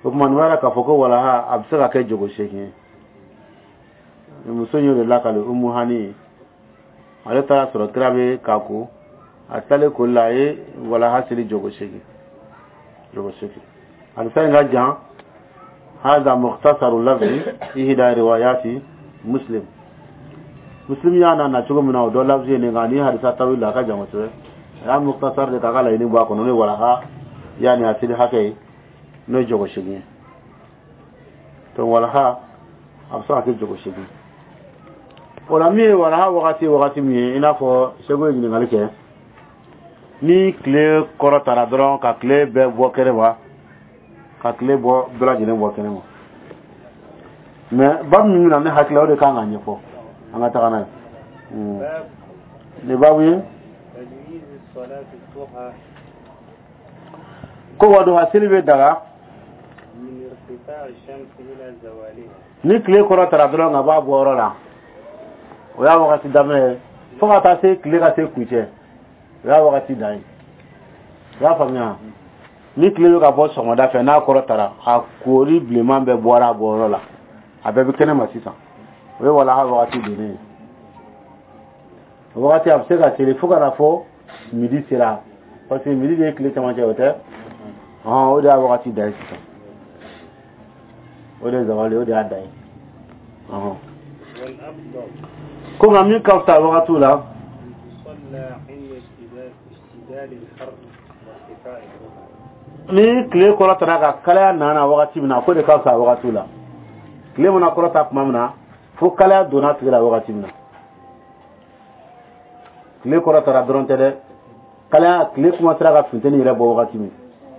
O tuma, nin b'a yira k'a fɔ ko walaha a bɛ se ka kɛ jogo seegin ye. Muso in y'o de lakale, Umu Hani ye. Ale taara sɔrɔ kira bɛ k'a ko, a tilalen koli la, a ye walaha seli jogo seegin, jogo seegin. Hadisa in ka jan. هذا مختصر لفظ إحدى روايات مسلم. Muslim y'a na cogo min na, o dɔ lafzi ye nin, nka ni hadisa tawil la, a ka jan kosɛbɛ. A y'a mukhtasar de k'a ka laɲini bɔ a kɔnɔ, n'o ye walaha yanni a seli hakɛ ye, n'o ye jogo seegin ye. Donc walaha a bɛ se ka kɛ jogo seegin. O la, min ye walaha wagati wagati min ye, i n'a fɔ Segu ye ɲininkali kɛ, ni tile kɔrɔtara dɔrɔn ka tile bɛɛ bɔ kɛnɛ ma, ka tile bɔ bɛɛ lajɛlen bɔ kɛnɛ ma. Mais babu min bɛna, ne hakili la, o de kan ka ɲɛfɔ, an ka taga n'a ye. باب Nin babu ye تجويز الصلاة الضحى ko waduha seli bɛ daga من ارتفاع الشمس إلى زوالها. Ni tile kɔrɔtara dɔrɔn ka bɔ a bɔyɔrɔ la, o y'a wagati daminɛ ye, fo ka taa se tile ka se kuncɛ, o y'a wagati dan ye. I y'a faamuya? Ni tile bɛ ka bɔ sɔgɔmada fɛ, n'a kɔrɔtara, a koori bilenman bɛɛ bɔra a bɔyɔrɔ la, a bɛɛ bɛ kɛnɛ ma sisan, o ye walaha wagati donnen ye. O wagati a bɛ se ka seli fo ka na fɔ midi sera, parce que midi de ye tile camancɛ, o tɛ ɔhɔn, o de y'a wagati dan ye sisan. O de ye zawali, o de y'a dan ye, ɔhɔn. والأفضل Ko nka min ka fisa wagatiw la، أن تصلى عند اشتداد اشتداد الحر وارتفاع الضحى. Ni tile kɔrɔtara ka kalaya nana wagati min na, ko de ka fisa wagatiw la. Tile mana kɔrɔta tuma min na, fo kalaya donna tile la wagati min na, tile kɔrɔtara dɔrɔn tɛ dɛ, kalaya, tile kuma sera ka funteni yɛrɛ bɔ wagati min,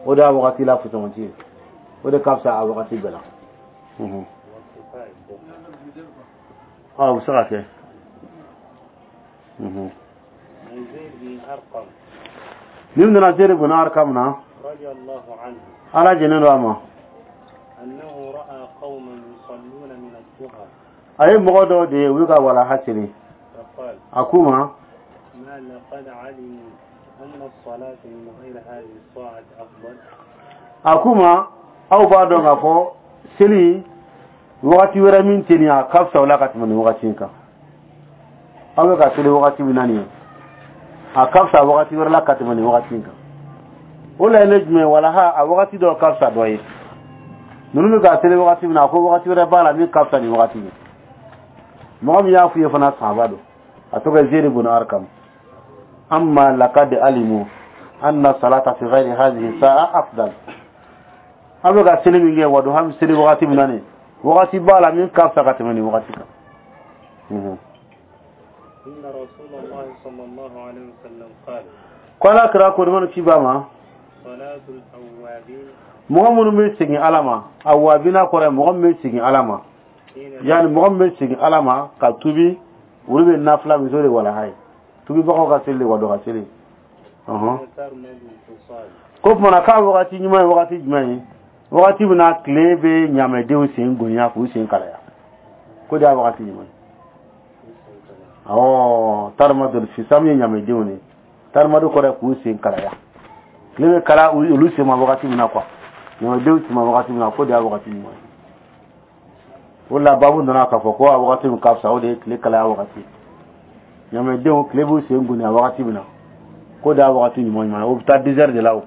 o de y'a wagati la fusamati ye. O de ka fisa a wagati bɛɛ la. Mhm. وارتفاع الضحى. Ɔ, o bɛ se ka kɛ. Mhm. عن زيد بن أرقم. Ni nana Zeri bun Arkam na، رضي الله عنه، Ala jɛnnen don a ma، أنه رأى قوما يصلون من الضحى. A ye mɔgɔ dɔw de ye, u bɛ ka walaha seli. فقال: A k'u ma: ما لقد علموا أن الصلاة من غير هذه الساعة أفضل. A k'u ma, aw b'a dɔn k'a fɔ seli wagati wɛrɛ min tɛ nin ye, a ka fisa o la ka tɛmɛ nin wagati in kan. Aw bɛ ka seli wagati min na nin ye, a ka fisa wagati wɛrɛ la ka tɛmɛ nin wagati in kan. O laɲini ye jumɛn ye? Walaha a wagati dɔ ka fisa dɔ ye. Ninnu bɛ ka seli wagati min na, a ko wagati wɛrɛ b'a la min ka fisa nin wagati ye. Mɔgɔ min y'a f'u ye fana, sahaba don, a tɔgɔ ye Zeri bun Arkam. Amma laqad alimu anna salata fi ghayri hadhihi sa'a afdal. Aw bɛ ka seli min kɛ, waduha bɛ seli wagati min na nin, wagati b'a la min ka fisa ka tɛmɛ nin wagati kan. Mhm. إن رسول الله صلى الله عليه وسلم قال: Ko Ala kira ko ni ci ba ma: صلاة الأوابين Mɔgɔ minnu bɛ segin Ala ma, awabina kɔrɔ ye mɔgɔ min bɛ segin Ala ma، حين yani mɔgɔ min bɛ segin Ala ma ka tubi, olu bɛ nafila min, o de walaha ye, tubibagaw ka seli de, waduha seli, ɔhɔn. ترمد الفصال. Ko tuma na k'a wagati ɲuman ye wagati jumɛn ye? Wagati min na tile bɛ ɲamɛdenw sen gonya k'u sen kalaya, ko de y'a wagati ɲuman ye. Awɔ, tarimadu fisam ye ɲamɛdenw de ye. Tarimadu kɔrɔ ye k'u sen kalaya. Tile bɛ kala olu sen ma wagati min na quoi, ɲamɛdenw sen ma wagati min na, ko de y'a wagati ɲuman ye. O la babu nana k'a fɔ ko a wagati min ka fisa, o de ye tile kalaya wagati. Ɲamɛdenw, tile b'u sen gonya wagati min na, ko de y'a wagati ɲuman ɲuman ye. O bɛ taa dix heures de la. O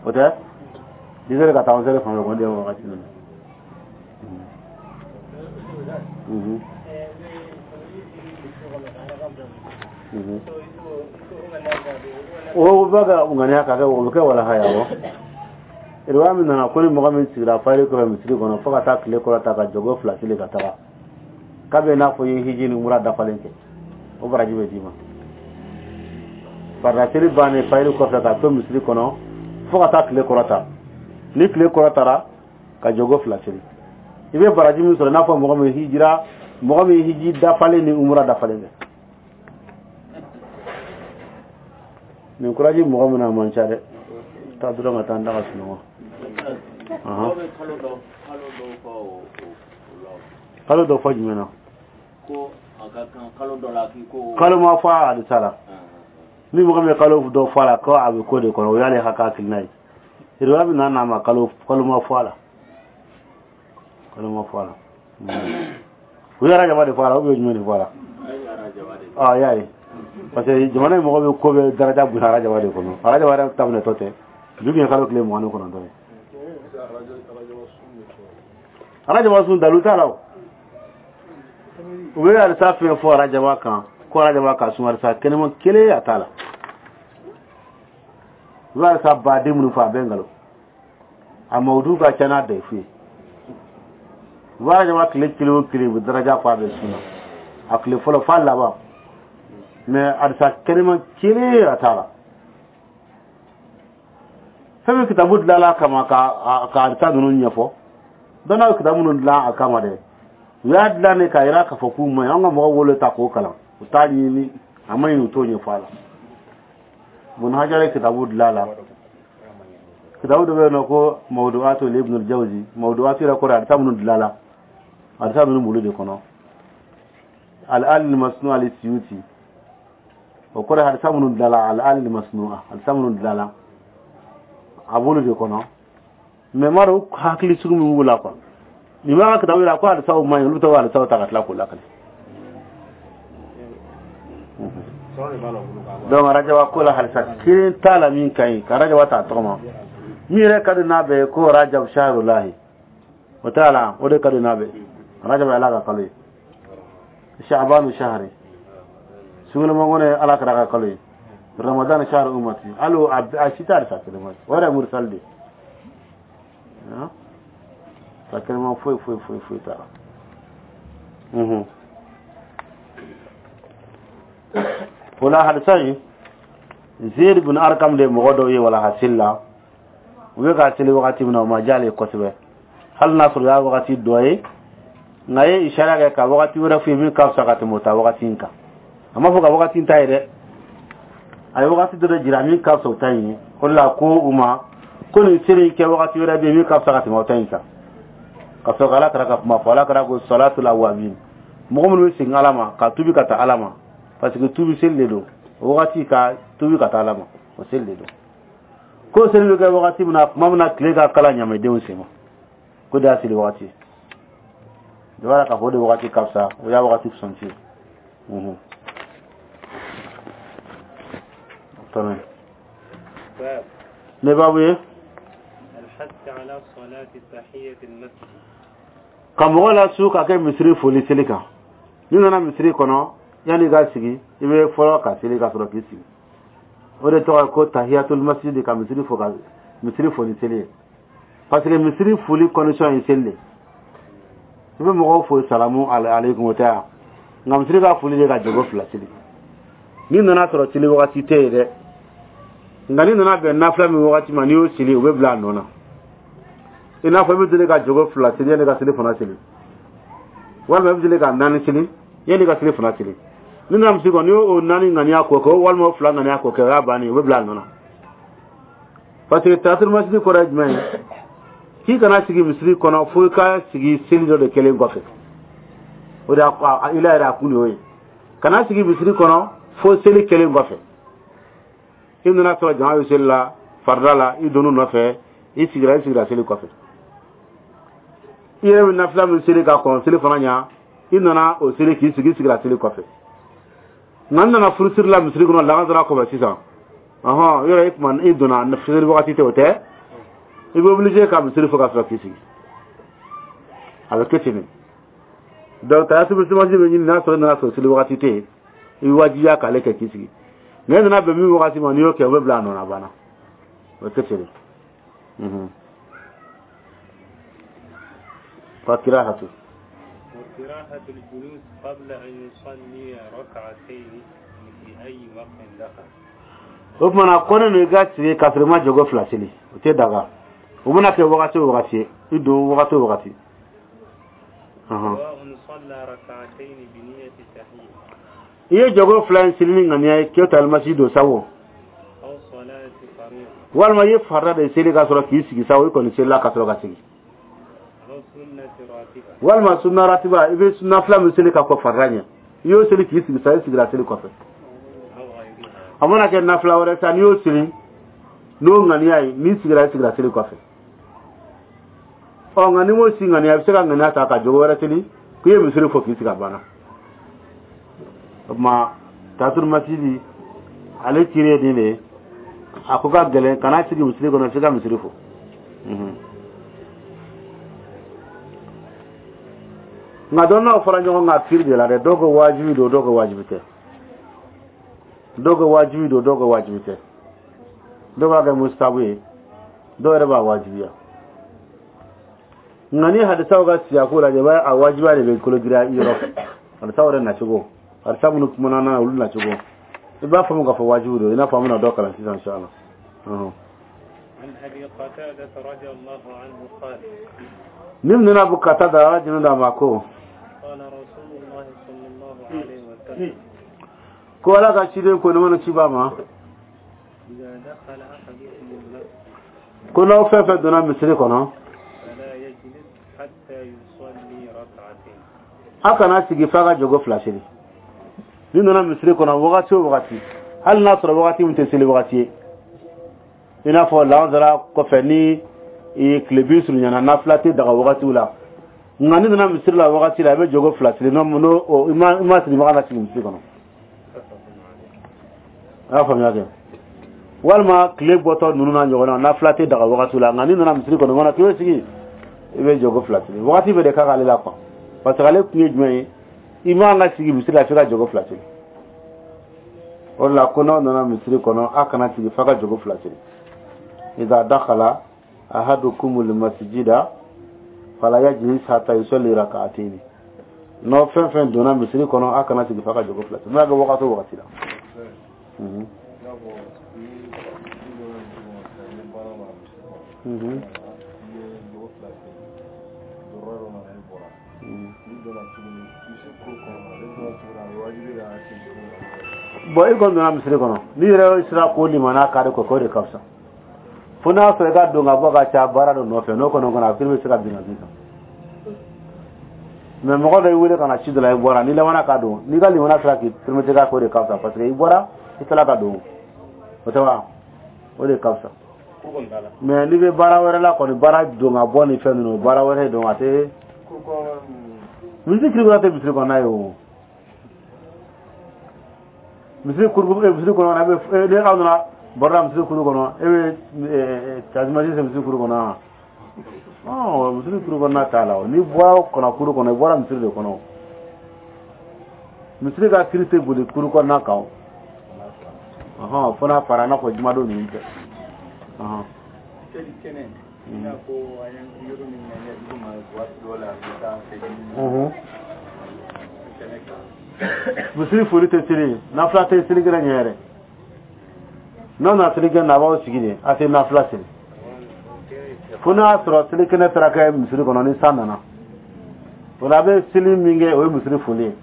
o tɛ dix heures ka taa onze heures fan fɛ kɔni de ye wagati ninnu. Mhm. Mhm. O bɛ ka ŋaniya ka kɛ, o bɛ kɛ walaha ye. Awɔ, riwaya min nana ko ni mɔgɔ min sigira fayiri kɔfɛ misiri kɔnɔ fo ka taa tile kɔrɔ ta ka jɔgo fila seli ka taga, k'a bɛ n'a fɔ i ye hiji ni mura dafalen kɛ, o baraji bɛ d'i ma. Farida seli bannen fayiri kɔfɛ ka to misiri kɔnɔ fo ka taa tile kɔrɔ ta, ni tile kɔrɔ tara ka jɔgo fila seli, i bɛ baraji min sɔrɔ, i n'a fɔ mɔgɔ min hijira, mɔgɔ min hiji dafalen ni umura dafalen kɛ. Nin kuraji mɔgɔ min na, a man ca dɛ. Taa dɔrɔn ka taa n da ka sunɔgɔ. Dɔw bɛ kalo dɔ kalo dɔw fɔ o o la. Kalo dɔ fɔ jumɛn na? Ko a ka kan kalo dɔ la k'i ko. Kalo ma fɔ a hadisa la. Ni mɔgɔ min ye kalo dɔ fɔ a la, ko a bɛ ko de kɔnɔ, o y'ale ka hakilina ye. Riwaya min nana, a ma kalo kalo ma fɔ a la, kalo ma fɔ a la. U ye arajaba de fɔ a la ou bien jumɛn de fɔ a la? Ah, y'a ye, parce que jamana in mɔgɔ bɛ ko bɛ daraja bonya arajaba de kɔnɔ. Arajaba yɛrɛ ta minɛtɔ tɛ bi kun ye kalo tile mugan ni kɔnɔntɔn ye. Arajaba sun, dalu t'a la. O u bɛ alisa fɛn fɔ arajaba kan ko arajaba ka sun, alisa kɛnɛma kelen a t'a la. U bɛ alisa baden minnu fɔ, a bɛɛ nkalon. A mawudu ka ca n'a dayifu ye. U bɛ arajaba tile kelen o kelen, u bɛ daraja fɔ a bɛ sun na, a tile fɔlɔ f'a laban, mais alisa kɛnɛma kelen a t'a la. Fɛn min kitabu dilanla a kama ka ka alisa ninnu ɲɛfɔ, dɔnna ye kitabu minnu dilan a kama dɛ, u y'a dilan de k'a yira k'a fɔ k'u ma ɲi. An ka mɔgɔw wolo ta k'o kalan, u t'a ɲini, a ma ɲi, u t'o ɲɛfɔ a la. Bun Hajar ye kitabu dilan a la. Kitabu dɔ bɛ yen nɔ ko Mawdu'atu Ibn al-Jawzi. Mawdu'atu yɛrɛ kɔrɔ ye alisa minnu dilan la, alisa ninnu b'olu de kɔnɔ. Al-al al-masnu'a li-Suyuti, o kɔrɔ ye hadisa minnu dilanla. Al-al al-masnu'a, hadisa minnu dilanla, a b'olu de kɔnɔ. Mais m'a dɔn hakili sugu min b'u la quoi. Nin b'a ka kitabu yira ko hadisaw man ɲi, olu bɛ taa hadisaw ta ka tila k'o lakale. Donc arajaba ko la, hadisa kelen t'a la min ka ɲi ka arajaba ta tɔgɔ ma. Min yɛrɛ ka di n'a bɛɛ ye, ko rajab shahrulahi, o t'a la, o de ka di n'a bɛɛ. Rajab ye Ala ka kalo ye, sha'banu shahri sugunɛmangɔnɔ ye Ala kɛra ka kalo ye, ramadan shahru umati. Hali a si t'a hadisa kelen ma, o yɛrɛ ye mursal de ye. Sa kɛnɛma foyi foyi foyi foyi t'a la. O la hadisa in, Zeid bin Arkam de mɔgɔ dɔw ye walaha seli la. U bɛ ka seli wagati min na, o ma diya ale ye kosɛbɛ, hali n'a sɔrɔ o y'a wagati dɔ ye, nka a ye isara kɛ ka wagati wɛrɛ f'u ye min ka fisa ka tɛmɛ o ta wagati in kan. A ma fɔ ka wagati in ta ye dɛ, a ye wagati dɔ de jira min ka fisa o ta in ye. O de la ko u ma ko nin seli in kɛ wagati wɛrɛ bɛ yen min ka fisa ka tɛmɛ o ta in kan, ka sɔrɔ ka Ala kɛra ka kuma fɔ. Ala kɛra ko salatul awabin, mɔgɔ minnu bɛ segin Ala ma ka tubi ka taa Ala ma, parce que tubi seli de don o wagati, ka tubi ka taa Ala ma, o seli de don. Ko seli bɛ kɛ wagati min na, tuma min na tile ka kala ɲamɛdenw sen ma, ko de y'a seli wagati ye. I b'a k'a fɔ o de wagati ka fisa, o y'a wagati fisanci ye. Tɛmɛ ne baabu ye ka mɔgɔ lasu ka kɛ misiri foli seli kan. N'i nana misiri kɔnɔ, yanni i ka sigi, i bɛ fɔlɔ ka seli ka sɔrɔ k'i sigi. O de tɔgɔ ye ko tahiyatul masjid, ka misiri fo, ka misiri foli seli ye, parce que misiri foli condition ye seli de. I bɛ mɔgɔw fo salamu aleykum, o tɛ yan, nka misiri ka foli de ka jogo fila seli. N'i nana sɔrɔ seli wagati tɛ yen dɛ, nka n'i nana bɛn nafila min wagati ma, n'i y'o seli, o bɛ bila a nɔ na. I n'a fɔ i bɛ deli ka jogo fila seli yanni ka seli fana seli, walima i bɛ deli ka naani seli yanni ka seli fana seli. Ni nana misiri kɔnɔ, n'i y'o naani ŋaniya k'o kɛ, walima o fila ŋaniya k'o kɛ, o y'a bannen ye, o bɛ bila a nɔ na. Parce que tahiyatul masjid kɔrɔ ye jumɛn ye? K'i kana sigi misiri kɔnɔ fo i ka sigi seli dɔ de kɛlen kɔfɛ. O de y'a ila yɛrɛ a kun de y'o ye. Kana sigi misiri kɔnɔ fo seli kɛlen kɔfɛ. I nana sɔrɔ jama bɛ seli la farida la, i donn'u nɔfɛ, i sigira i sigira seli kɔfɛ. I yɛrɛ bɛ nafila min seli ka kɔn seli fana ɲa, i nana o seli k'i sigi, i sigira seli kɔfɛ. Nka n nana furusiri la misiri kɔnɔ lagansara kɔfɛ sisan, ɔhɔn, yɔrɔ i kuma i donna seli wagati tɛ, o tɛ, i bɛ obligé ka misiri fo ka sɔrɔ k'i sigi. A bɛ kɛ ten de. Donc tahiyatul masjid bɛ ɲini n'a sɔrɔ i nana sɔrɔ seli wagati tɛ yen, i bɛ wajibiya k'ale kɛ k'i sigi. Nka i nana bɛn min wagati ma, n'i y'o kɛ, o bɛ bila a nɔ na, a banna. O bɛ kɛ ten de. Fa kirahatu. وكراهة الجلوس قبل أن يصلي ركعتين في أي وقت دخل. O tuma na ko ne i ka sigi k'a sɔrɔ i ma jɔgo fila seli, o tɛ daga. O mana kɛ wagati o wagati ye, i don wagati o wagati. سواء صلى ركعتين بنية التحية. I ye jɔgo fila in seli ni ŋaniya ye k'e ta almasi don sa o. أو صلاة فريضة. Walima i ye farida de seli k'a sɔrɔ k'i sigi sa o, i kɔni selila ka sɔrɔ ka sigi. أو سنة راتبة. Walima sunna ratiba, i bɛ sunna fila min seli ka kɔ farida ɲɛ, i y'o seli k'i sigi sa, i sigira seli kɔfɛ. أو غيرها. A mana kɛ nafila wɛrɛ sa, n'i y'o seli n'o ŋaniya ye, n'i sigira, i sigira seli kɔfɛ. Ɔ, nka n'i m'o si ŋaniya, i bɛ se ka ŋaniya ta ka jogo wɛrɛ seli k'i ye misiri fo k'i sigi, a banna. O tuma tahiyatul masjid ale kiri ye nin de ye. A ko ka gɛlɛn, kana sigi misiri kɔnɔ f'i ka misiri fo. Nka dɔnnaw fɔra ɲɔgɔn kan kiri de la dɛ. Dɔw ko wajibi don, dɔw ko wajibi tɛ. Dɔw ko wajibi don, dɔw ko wajibi tɛ. Dɔw b'a kɛ mustabu ye, dɔw yɛrɛ b'a wajibiya. Nka ni hadisaw ka siyako lajɛ, i b'a ye a wajibiya de bɛ kolo giriya i yɔrɔ. Hadisaw yɛrɛ nacogo, hadisa minnu kumana n'a ye, olu nacogo, i b'a faamu k'a fɔ wajibi don, i n'a fɔ an bɛna dɔ kalan sisan inshallah. عن أبي قتادة رضي الله عنه قال. Ni min nana Abu Qatada, Ala jɛnna d'a ma, ko قال رسول الله صلى الله عليه وسلم. Ko Ala ka ciden ko ne mana ci ba ma. إذا دخل أحدكم المسجد. Ko n'aw fɛn fɛn donna misiri kɔnɔ. فلا يجلس حتى يصلي ركعتين. A kana sigi f'a ka jɔgo fila seli. Ni nana misiri kɔnɔ wagati o wagati, hali n'a sɔrɔ wagati min tɛ seli wagati ye, i n'a fɔ lansara kɔfɛ ni tile bi surunyana, nafila tɛ daga wagatiw la, nka ni nana misiri la wagati la, i bɛ jɔgo fila seli. N'o i ma i ma sigi, maga na sigi misiri kɔnɔ. A y'a faamuya kɛ? Walima tile bɔtɔ ninnu n'a ɲɔgɔnna, nafila tɛ daga wagatiw la, nka ni nana misiri kɔnɔ kɔnɔ k'i bɛ sigi, i bɛ jɔgo fila seli. Wagati bɛɛ de ka k'ale la quoi, parce que ale kun ye jumɛn ye? I man ka sigi misiri la f'i ka jɔgo fila seli. O de la ko n'aw nana misiri kɔnɔ, a kana sigi f'a ka jɔgo fila seli. Idha dakhala ahadukumul masjida fala yajlis hatta yusalli rak'atayn. N'aw fɛn fɛn donna misiri kɔnɔ, a kana sigi f'a ka jɔgo fila seli, n'a kɛ wagati o wagati la. I n'a fɔ ni i donna misiri kɔnɔ sisan, i ye baara la misiri kɔnɔ, i ye jogo fila seli, dɔrɔn dɔ nana, i bɔra, n'i donna tuguni misi kuru kɔnɔ, n'i donna tuguni, a bɛ wajibi ka segin tuguni ka bɔ. Bon, i kɔni donna misiri kɔnɔ, n'i yɛrɛ sera k'o limana kari kɔ, k'o de ka fisa. Fo n'a sɔrɔ i ka don ka bɔ ka ca baara dɔ nɔfɛ, n'o kɔni kɔnɔ a kiri bɛ se ka bin ka bin kan. Mais mɔgɔ dɔ y'i wele ka na ci dɔ la, i bɔra, n'i labanna ka don, n'i ka limana sera k'i permettre ka k'o de ka fisa, parce que i bɔra, i tilala ka don, o tɛ wa? O de ka fisa. Mais n'i bɛ baara wɛrɛ la kɔni, baara don ka bɔ ni fɛn ninnu, baara wɛrɛ don, a tɛ misiri kiri kɔnɔ tɛ misiri kɔnɔna ye o. Misiri kuru, misiri kɔnɔ, a bɛ ni aw nana baro la misiri kuru kɔnɔ, e bɛ tajumasi se misiri kuru kɔnɔ wa? Ɔ, misiri kuru kɔnɔna t'a la o. N'i bɔra kɔnɔ kuru kɔnɔ, i bɔra misiri de kɔnɔ. Misiri ka kiri tɛ boli kuru kɔnɔna kan o. Ɔhɔn, fo n'a fara, i n'a fɔ jumadon ninnu tɛ. Ɔhɔn. Seli kɛnɛ, i n'a fɔ an ye yɔrɔ min na komi waati dɔw la a bɛ taa seli kɛnɛ kan. Misiri foli tɛ seli, nafila tɛ seli kɛnɛ ɲɛ yɛrɛ. N'aw nana seli kɛnɛ na, a b'aw sigi de, a tɛ nafila seli. Fo n'a y'a sɔrɔ seli kɛnɛ taara kɛ misiri kɔnɔ ni san nana, o la a bɛ seli min kɛ, o ye misiri foli ye.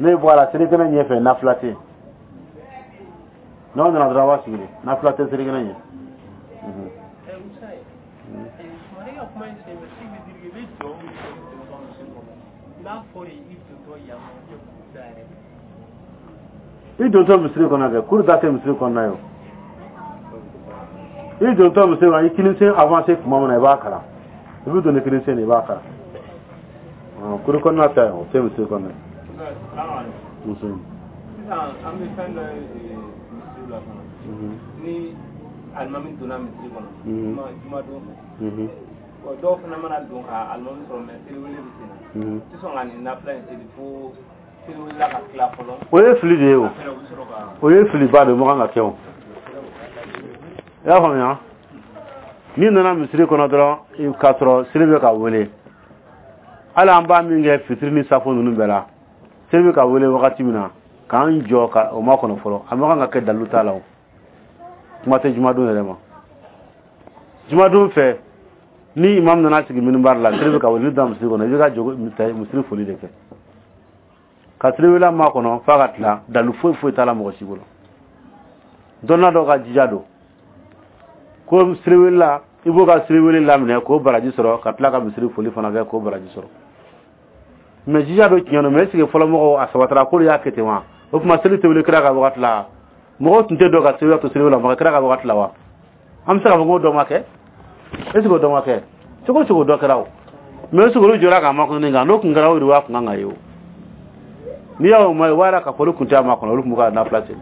N'e bɔ a la, seli kɛnɛ ɲɛfɛ nafila tɛ yen. N'aw nana dɔrɔn, a b'a sigi de, nafila tɛ seli kɛnɛ ɲɛ. Sumare ka kuma in sen fɛ, ce qui veut dire que i bɛ jɔ min kɛ i dontɔ misiri kɔnɔ, n'a fɔra i dontɔ yan nɔ, i ye kuru da yɛrɛ. I dontɔ misiri kɔnɔ kɛ, kuru da tɛ misiri kɔnɔna ye o. I dontɔ misiri kɔnɔ, i kinisen avancé tuma min na, i b'a kalan. I bɛ don ni kinisen de, i b'a kalan. Kuru kɔnɔna ta ye, o tɛ misiri kɔnɔna ye. Muso. Sisan an bɛ fɛn dɔ ye misiri la fana. Ni alimami donna misiri kɔnɔ jumadon fɛ, dɔw fana mana don ka alimami sɔrɔ, mɛ seliwele bɛ sen na, tɛ sɔn ka nin nafila in seli fo seliwelela ka tila fɔlɔ. O ye fili de ye o. O ye filiba de ye, o man kan ka kɛ o. I y'a faamuya? N'i nana misiri kɔnɔ dɔrɔn k'a sɔrɔ seli bɛ ka wele, hali an b'a min kɛ fitiri ni safo ninnu bɛɛ la, seli bɛ ka wele wagati min na, k'an jɔ ka o ma kɔnɔ fɔlɔ, a man kan ka kɛ, dalilu t'a la o. Kuma tɛ jumadon yɛrɛ ma. Jumadon fɛ, ni imam nana sigi minibari la, seli bɛ ka wele, n'i donna misiri kɔnɔ, i bɛ ka jɔ misiri foli de kɛ ka seliwela ma kɔnɔ f'a ka tila. Dalilu foyi foyi t'a la mɔgɔ si bolo. Dɔnna dɔ ka jija don ko seliwela, i b'o ka seliwele laminɛ k'o baraji sɔrɔ, ka tila ka misiri foli fana kɛ k'o baraji sɔrɔ. Mɛ jija dɔ tiɲɛ don, mɛ est ce que fɔlɔ mɔgɔw a sabatara k'olu y'a kɛ ten wa? O tuma seli tɛ wele kira ka wagati la, mɔgɔw tun tɛ dɔn ka seliwela to seliwela ma kira ka wagati la wa? An bɛ se k'a fɔ k'o dɔ ma kɛ? Est ce que o dɔ ma kɛ? Cogo o cogo dɔ kɛra o. Mɛ est ce que olu jɔra k'a makɔnɔ kan? N'o tun kɛra, o de b'a kun kan ka ye o. N'i y'o ma ye, o b'a yira k'a fɔ olu tun tɛ a makɔnɔ, olu tun bɛ ka nafila seli.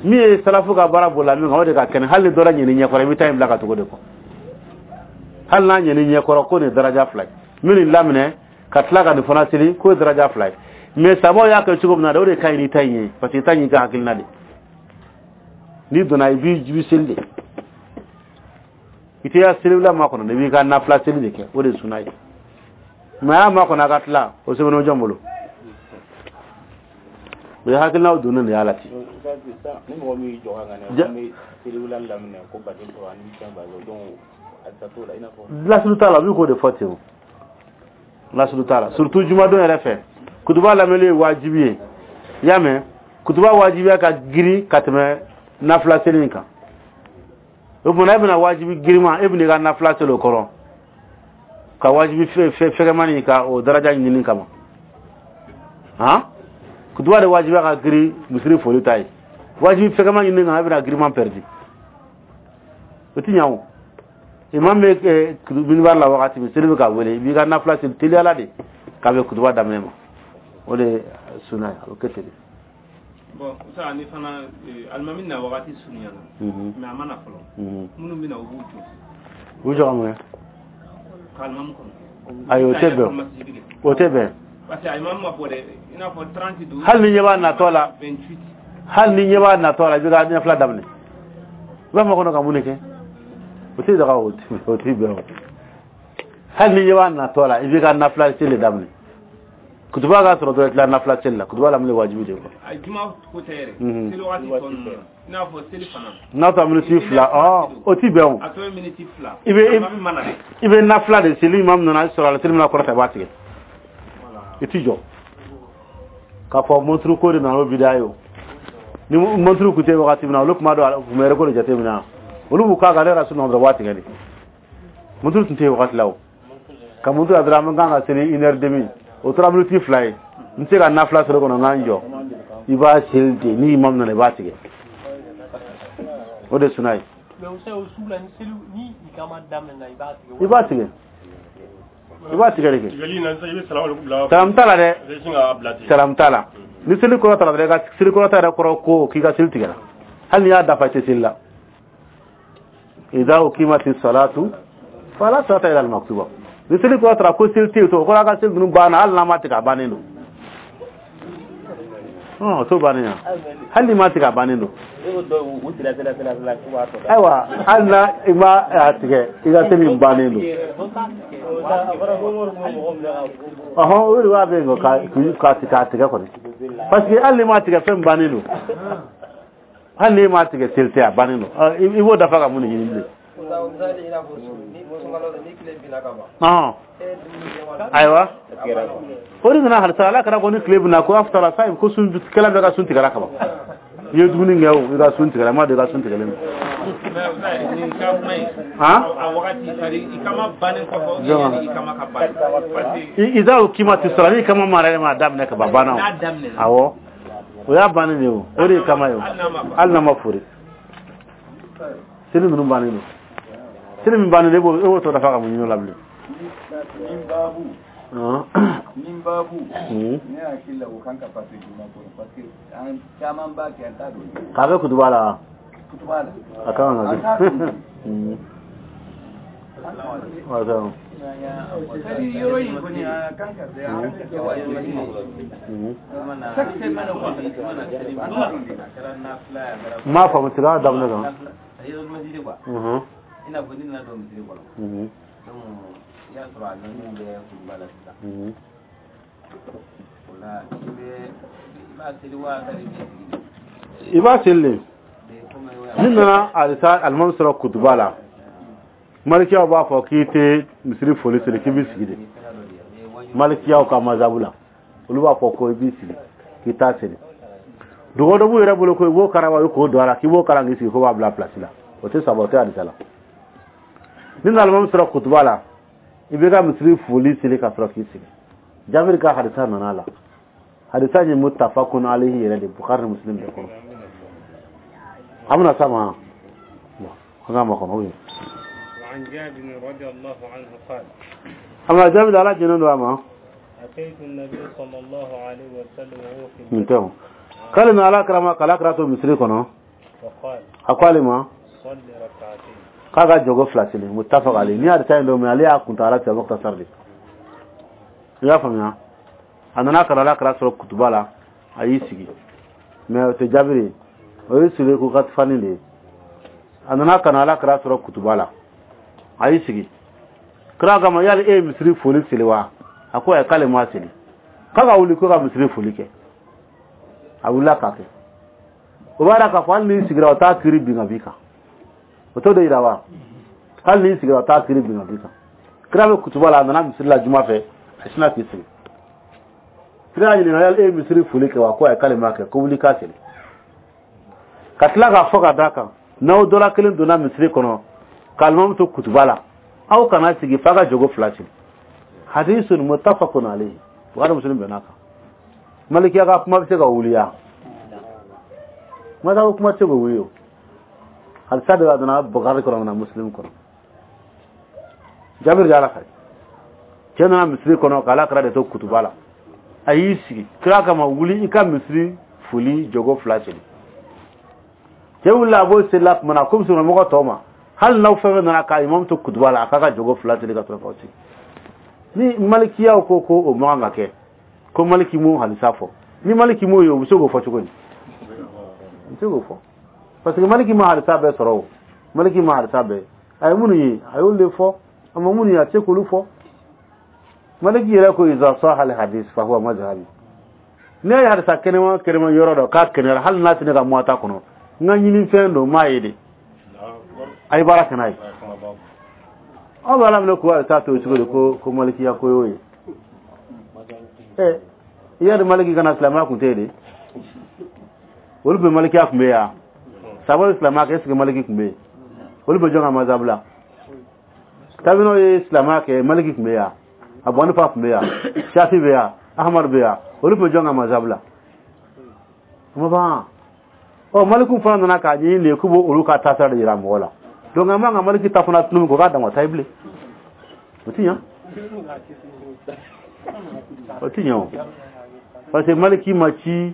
Min ye salafu ka baara bolila min kan, o de ka kɛnɛ. Hali ni dɔ la ɲɛni ɲɛkɔrɔ, i bɛ taa in bila ka tugu de kɔ. Hali n'a ɲɛni ɲɛkɔrɔ ko nin ye daraja fila ye, min nin laminɛ ka tila ka nin fana seli, k'o ye daraja fila ye. Mɛ sabaw y'a kɛ cogo min na dɛ, o de ka ɲi n'i ta in ye, parce que i ta in y'i ka hakilina de. N'i donna, i b'i i bɛ seli de, i tɛ ya seliwula makɔnɔ, i b'i ka nafila seli de kɛ, o de ye suna ye. Mɛ a y'a makɔnɔ a ka tila, o sɛbɛnnen jɔn bolo? O ye hakilinaw donnen de y'a la ten. Ni mɔgɔ min y'i jɔ ka ŋaniya ko n bɛ seliwula laminɛ ko baden sɔrɔ ani fɛn ba, donc a tɛ t'o la i n'a fɔ. Lasulu t'a la, u bɛ k'o de fɔ ten o. Lasulu t'a la, surtout jumadon yɛrɛ fɛ. Kutuba lamɛnni ye wajibi ye, i y'a mɛn? Kutuba wajibiya ka girin ka tɛmɛ nafila seli in kan. O tuma e bɛna wajibi girinma, e bɛna i ka nafila seli o kɔrɔ ka wajibi fɛgɛmani ka o daraja ɲini kama. Han, kutuba de wajibiya ka girin misiri foli ta ye. Wajibi fɛgɛma ɲini kan, e bɛna girinman pɛridi, o ti ɲa o. Imam bɛ minibari la wagati min, seli bɛ ka wele, i b'i ka nafila seli teliyala de k'a bɛ kutuba daminɛ ma. O de ye suna ye, a bɛ kɛ ten de. Bon, sa ni fana alimami na wagati surunyana, mais a ma na fɔlɔ, minnu bɛ na, u b'u jɔ. U jɔ ka mun kɛ? Ka alimami kɔnɔ. Ayi, o tɛ bɛn, o tɛ bɛn. Parce que alimami ma bɔ dɛ, i n'a fɔ trente don. Hali ni ɲɛ b'a natɔ la, vingt-huit. Hali ni ɲɛ b'a natɔ la, i bɛ ka ɲɛfila daminɛ, i b'a fɔ kɔnɔ ka mun de kɛ? O tɛ daga, o tɛ bɛn o. Hali ni ɲɛ b'a natɔ la, i bɛ ka nafila seli daminɛ, kutuba ka sɔrɔ dɔrɔn, i tila nafila seli la. Kutuba lamini wajibi de quoi. A juma ko tɛ yɛrɛ, seli waati tɔ ninnu, i n'a fɔ seli fana. N'a sɔrɔ miniti fila, ɔ o ti bɛn o. A tɔ ye miniti fila. I bɛ i bɛ nafila de seli, imam nana sɔrɔ a la, seli mana kɔrɔta, i b'a tigɛ, i ti jɔ k'a fɔ monturu ko de nana o bida ye o. Ni monturu kun tɛ wagati min na, olu tun b'a dɔn, u tun bɛ yɛrɛ ko de jateminɛ, olu b'u k'a kan ne yɛrɛ sunɔgɔ dɔrɔn, u b'a tigɛ de. Monturu tun tɛ yen wagati la o. Ka monturu la dɔrɔn, an kan ka seli une heure demi, o tora miniti fila ye, n tɛ se ka nafila sɔrɔ kɔnɔ, n k'an jɔ, i b'a seli ten. Ni imam nana, i b'a tigɛ, o de ye suna ye. I b'a tigɛ, i b'a tigɛ de kɛ. Salamu t'a la dɛ, salamu t'a la. Ni seli kɔrɔ ta la dɔrɔn, i ka seli kɔrɔ ta yɛrɛ kɔrɔ ko k'i ka seli tigɛra, hali n'i y'a dafa, i tɛ seli la. Idha uqimati salatu fala salata illa al-maktuba. Ni seli kɔrɔ taara ko seli tɛ yen, o kɔrɔ a ka seli ninnu banna, hali n'a ma tigɛ, a bannen don. Ɔn, o t'o bannen ya, hali n'i ma tigɛ, a bannen don. Ayiwa, hali n'a i ma a tigɛ, i ka seli in bannen don. Ɔhɔn, o de b'a bɛ yen ka k'a tigɛ kɔni, parce que hali n'i ma tigɛ, fɛn bannen don. Hali n'i ma tigɛ, seli tɛ, a bannen don. I b'o dafa ka mun de ɲini bilen? Ayiwa, o de nana halisa ala kɛra ko ni tile bɛna ko aftara sa, ko sun kɛla bɛ ka sun tigɛra ka ban. I ye dumuni kɛ o, i ka sun tigɛla, n m'a dɔn i ka sun tigɛlen don. Nin ka kuma in Han? A wagati, c'est à dire ikama bannen kɔfɛ ou bien yanni ikama ka ban, parce que Iza ukimati sala, ni kama mara yɛrɛ ma daminɛ ka ban, banna o. N'a daminɛna. Awɔ, o y'a bannen de ye o, o de ye kama ye o. Hali n'a ma ban. Hali n'a ma fori, seli ninnu bannen don. Seli min bannen don, e b'o e b'o tɔ dafa ka mun ɲini o la bilen? Nin baabu Han? Nin baabu Mhm. ne hakili la, o kan ka passer juma kɔnɔ, parce que an caman b'a kɛ, an t'a dɔn. K'a kɛ kutuba la. Kutuba la. A kan ka An kɛ. t'a dɔn. Mhm. Wa salam. C'est-à-dire yɔrɔ in kɔni, a kan ka bɛn, an ka kɛ wajibi ye. Mhm. Chaque semaine kɔni, an t'a dɔn de. N m'a faamu, segin a daminɛ kan. Mhm. I n'a fɔ ni nana don misiri kɔnɔ, Mhm. donc i y'a sɔrɔ a nɔni bɛ kutuba la sisan, Mhm. o la i bɛ i b'a seli wa ka i b'i sigi? I b'a seli de. De komi o Ni nana alisa alimami sɔrɔ kutuba la, malikiyaw b'a fɔ k'i tɛ misiri foli seli, k'i b'i sigi de. Malikiyaw ka mazabu la, olu b'a fɔ ko i b'i sigi k'i t'a seli. Dogo dɔ b'u yɛrɛ bolo ko i b'o karaba, i k'o don a la, k'i b'o kalan k'i sigi, ko b'a bila place la. O tɛ saba, o tɛ hadisa la. Ni nana alimami sɔrɔ kutuba la, i b'i ka misiri foli seli ka sɔrɔ k'i sigi. Jabiri ka hadisa nana a la. Hadisa in ye muttafaqun alayhi yɛrɛ de, Bukhari ni Muslim bɛɛ kɔnɔ. An bɛna s'a ma. Bon, an k'a makɔnɔ ou bien? وعن جابر رضي الله عنه قال: Amma Jabiri, Ala jɛnnen don a ma. أتيت النبي صلى الله عليه وسلم وهو في Nin tɛ o, k'ale na Ala kira ma, k'Ala kira to misiri kɔnɔ. فقال: A ko ale ma: صل ركعتين. K'a ka jɔgo fila seli. Muttafaq alayhi. Ni hadisa in don, mais ale y'a kuntagala tigɛ, mukhtasar de. I y'a faamuya? A nana ka na Ala kira sɔrɔ kutuba la, a y'i sigi, mais o tɛ Jabiri ye, o ye Suleku Katfani de ye. A nana ka na Ala kira sɔrɔ kutuba la, a y'i sigi. Kira kama: yali e ye misiri foli seli wa? A ko ayi, k'ale ma seli. K'a ka wuli ko ka misiri foli kɛ. A wulila k'a kɛ. O b'a yira k'a fɔ hali n'i sigira, o t'a kiiri bin ka b'i kan. O t'o de yira wa? Hali n'i sigira, o t'a kiiri bin ka b'i kan. Kira bɛ kutuba la, a nana misiri la juma fɛ, a sinna k'i sigi. Kira y'a ɲininka: yali e ye misiri foli kɛ wa? Ko ayi, k'ale m'a kɛ. Ko wuli k'a seli. Ka tila k'a fɔ ka d'a kan, n'aw dɔla kelen donna misiri kɔnɔ ka alimamu to kutuba la, aw kana sigi f'a ka jogo fila seli. Hadisun muttafaqun alayhi, Bukhari, Muslim bɛn'a kan. Malikiya ka kuma bɛ se ka wuli ya? Mazhabu kuma tɛ se k'o wuli. O hadisa de b'a donna Bukhari kɔnɔ na Muslim kɔnɔ. Jabiri de, Ala fɛ, cɛ nana misiri kɔnɔ k'Ala kira de to kutuba la, a y'i sigi. Kira kama: wuli i ka misiri foli jogo fila seli. Cɛ wulila, a b'o selila tuma na, komi mɔgɔ tɔw ma, hali n'aw fɛn fɛn nana k'a imamu to kutuba la, a k'a ka jogo fila seli ka sɔrɔ k'aw sigi. Ni malikiyaw ko ko o man kan ka kɛ, ko Maliki m'o hadisa fɔ, ni Maliki m'o ye, o bɛ se k'o fɔ cogo di? U bɛ se k'o fɔ, parce que Maliki ma hadisa bɛɛ sɔrɔ. O Maliki ma hadisa bɛɛ, a ye minnu ye, a y'olu de fɔ. A ma minnu ye, a tɛ se k'olu fɔ. Maliki yɛrɛ ko: iza saha al hadis fa huwa mazhabi. Ne ye hadisa kɛnɛma kɛnɛma yɔrɔ dɔ k'a kɛnɛyara, hali n'a tɛ ne ka muwata kɔnɔ, n ka ɲini fɛn don, m'a ye de, a ye baara kɛ n'a ye. Aw bɛ Ala minɛ k'o hadisa to cogo di ko ko malikiya ko y'o ye? Ɛ, i y'a dɔn, Maliki kana silamɛya kun tɛ yen de. Olu bɛ malikiya kun bɛ yan sababu silamɛya kɛ. Est ce que Maliki kun bɛ yen? Olu bɛ jɔn ka mazhabu la? Tabinaw ye silamɛya kɛ, Maliki kun bɛ yan, Abu Hanifa kun bɛ yan, Shafi bɛ yan, Ahmad bɛ yan. Olu bɛ jɔn ka mazhabu la? O ma ban. Ɔ, Maliku fana nana k'a ɲɛɲini de k'u b'olu ka taasira de yira mɔgɔ la. Donc an b'an ka Maliki ta fana tunu k'o k'a dama ta ye bilen. O ti ɲa, o ti ɲa o, parce que Maliki ma ci.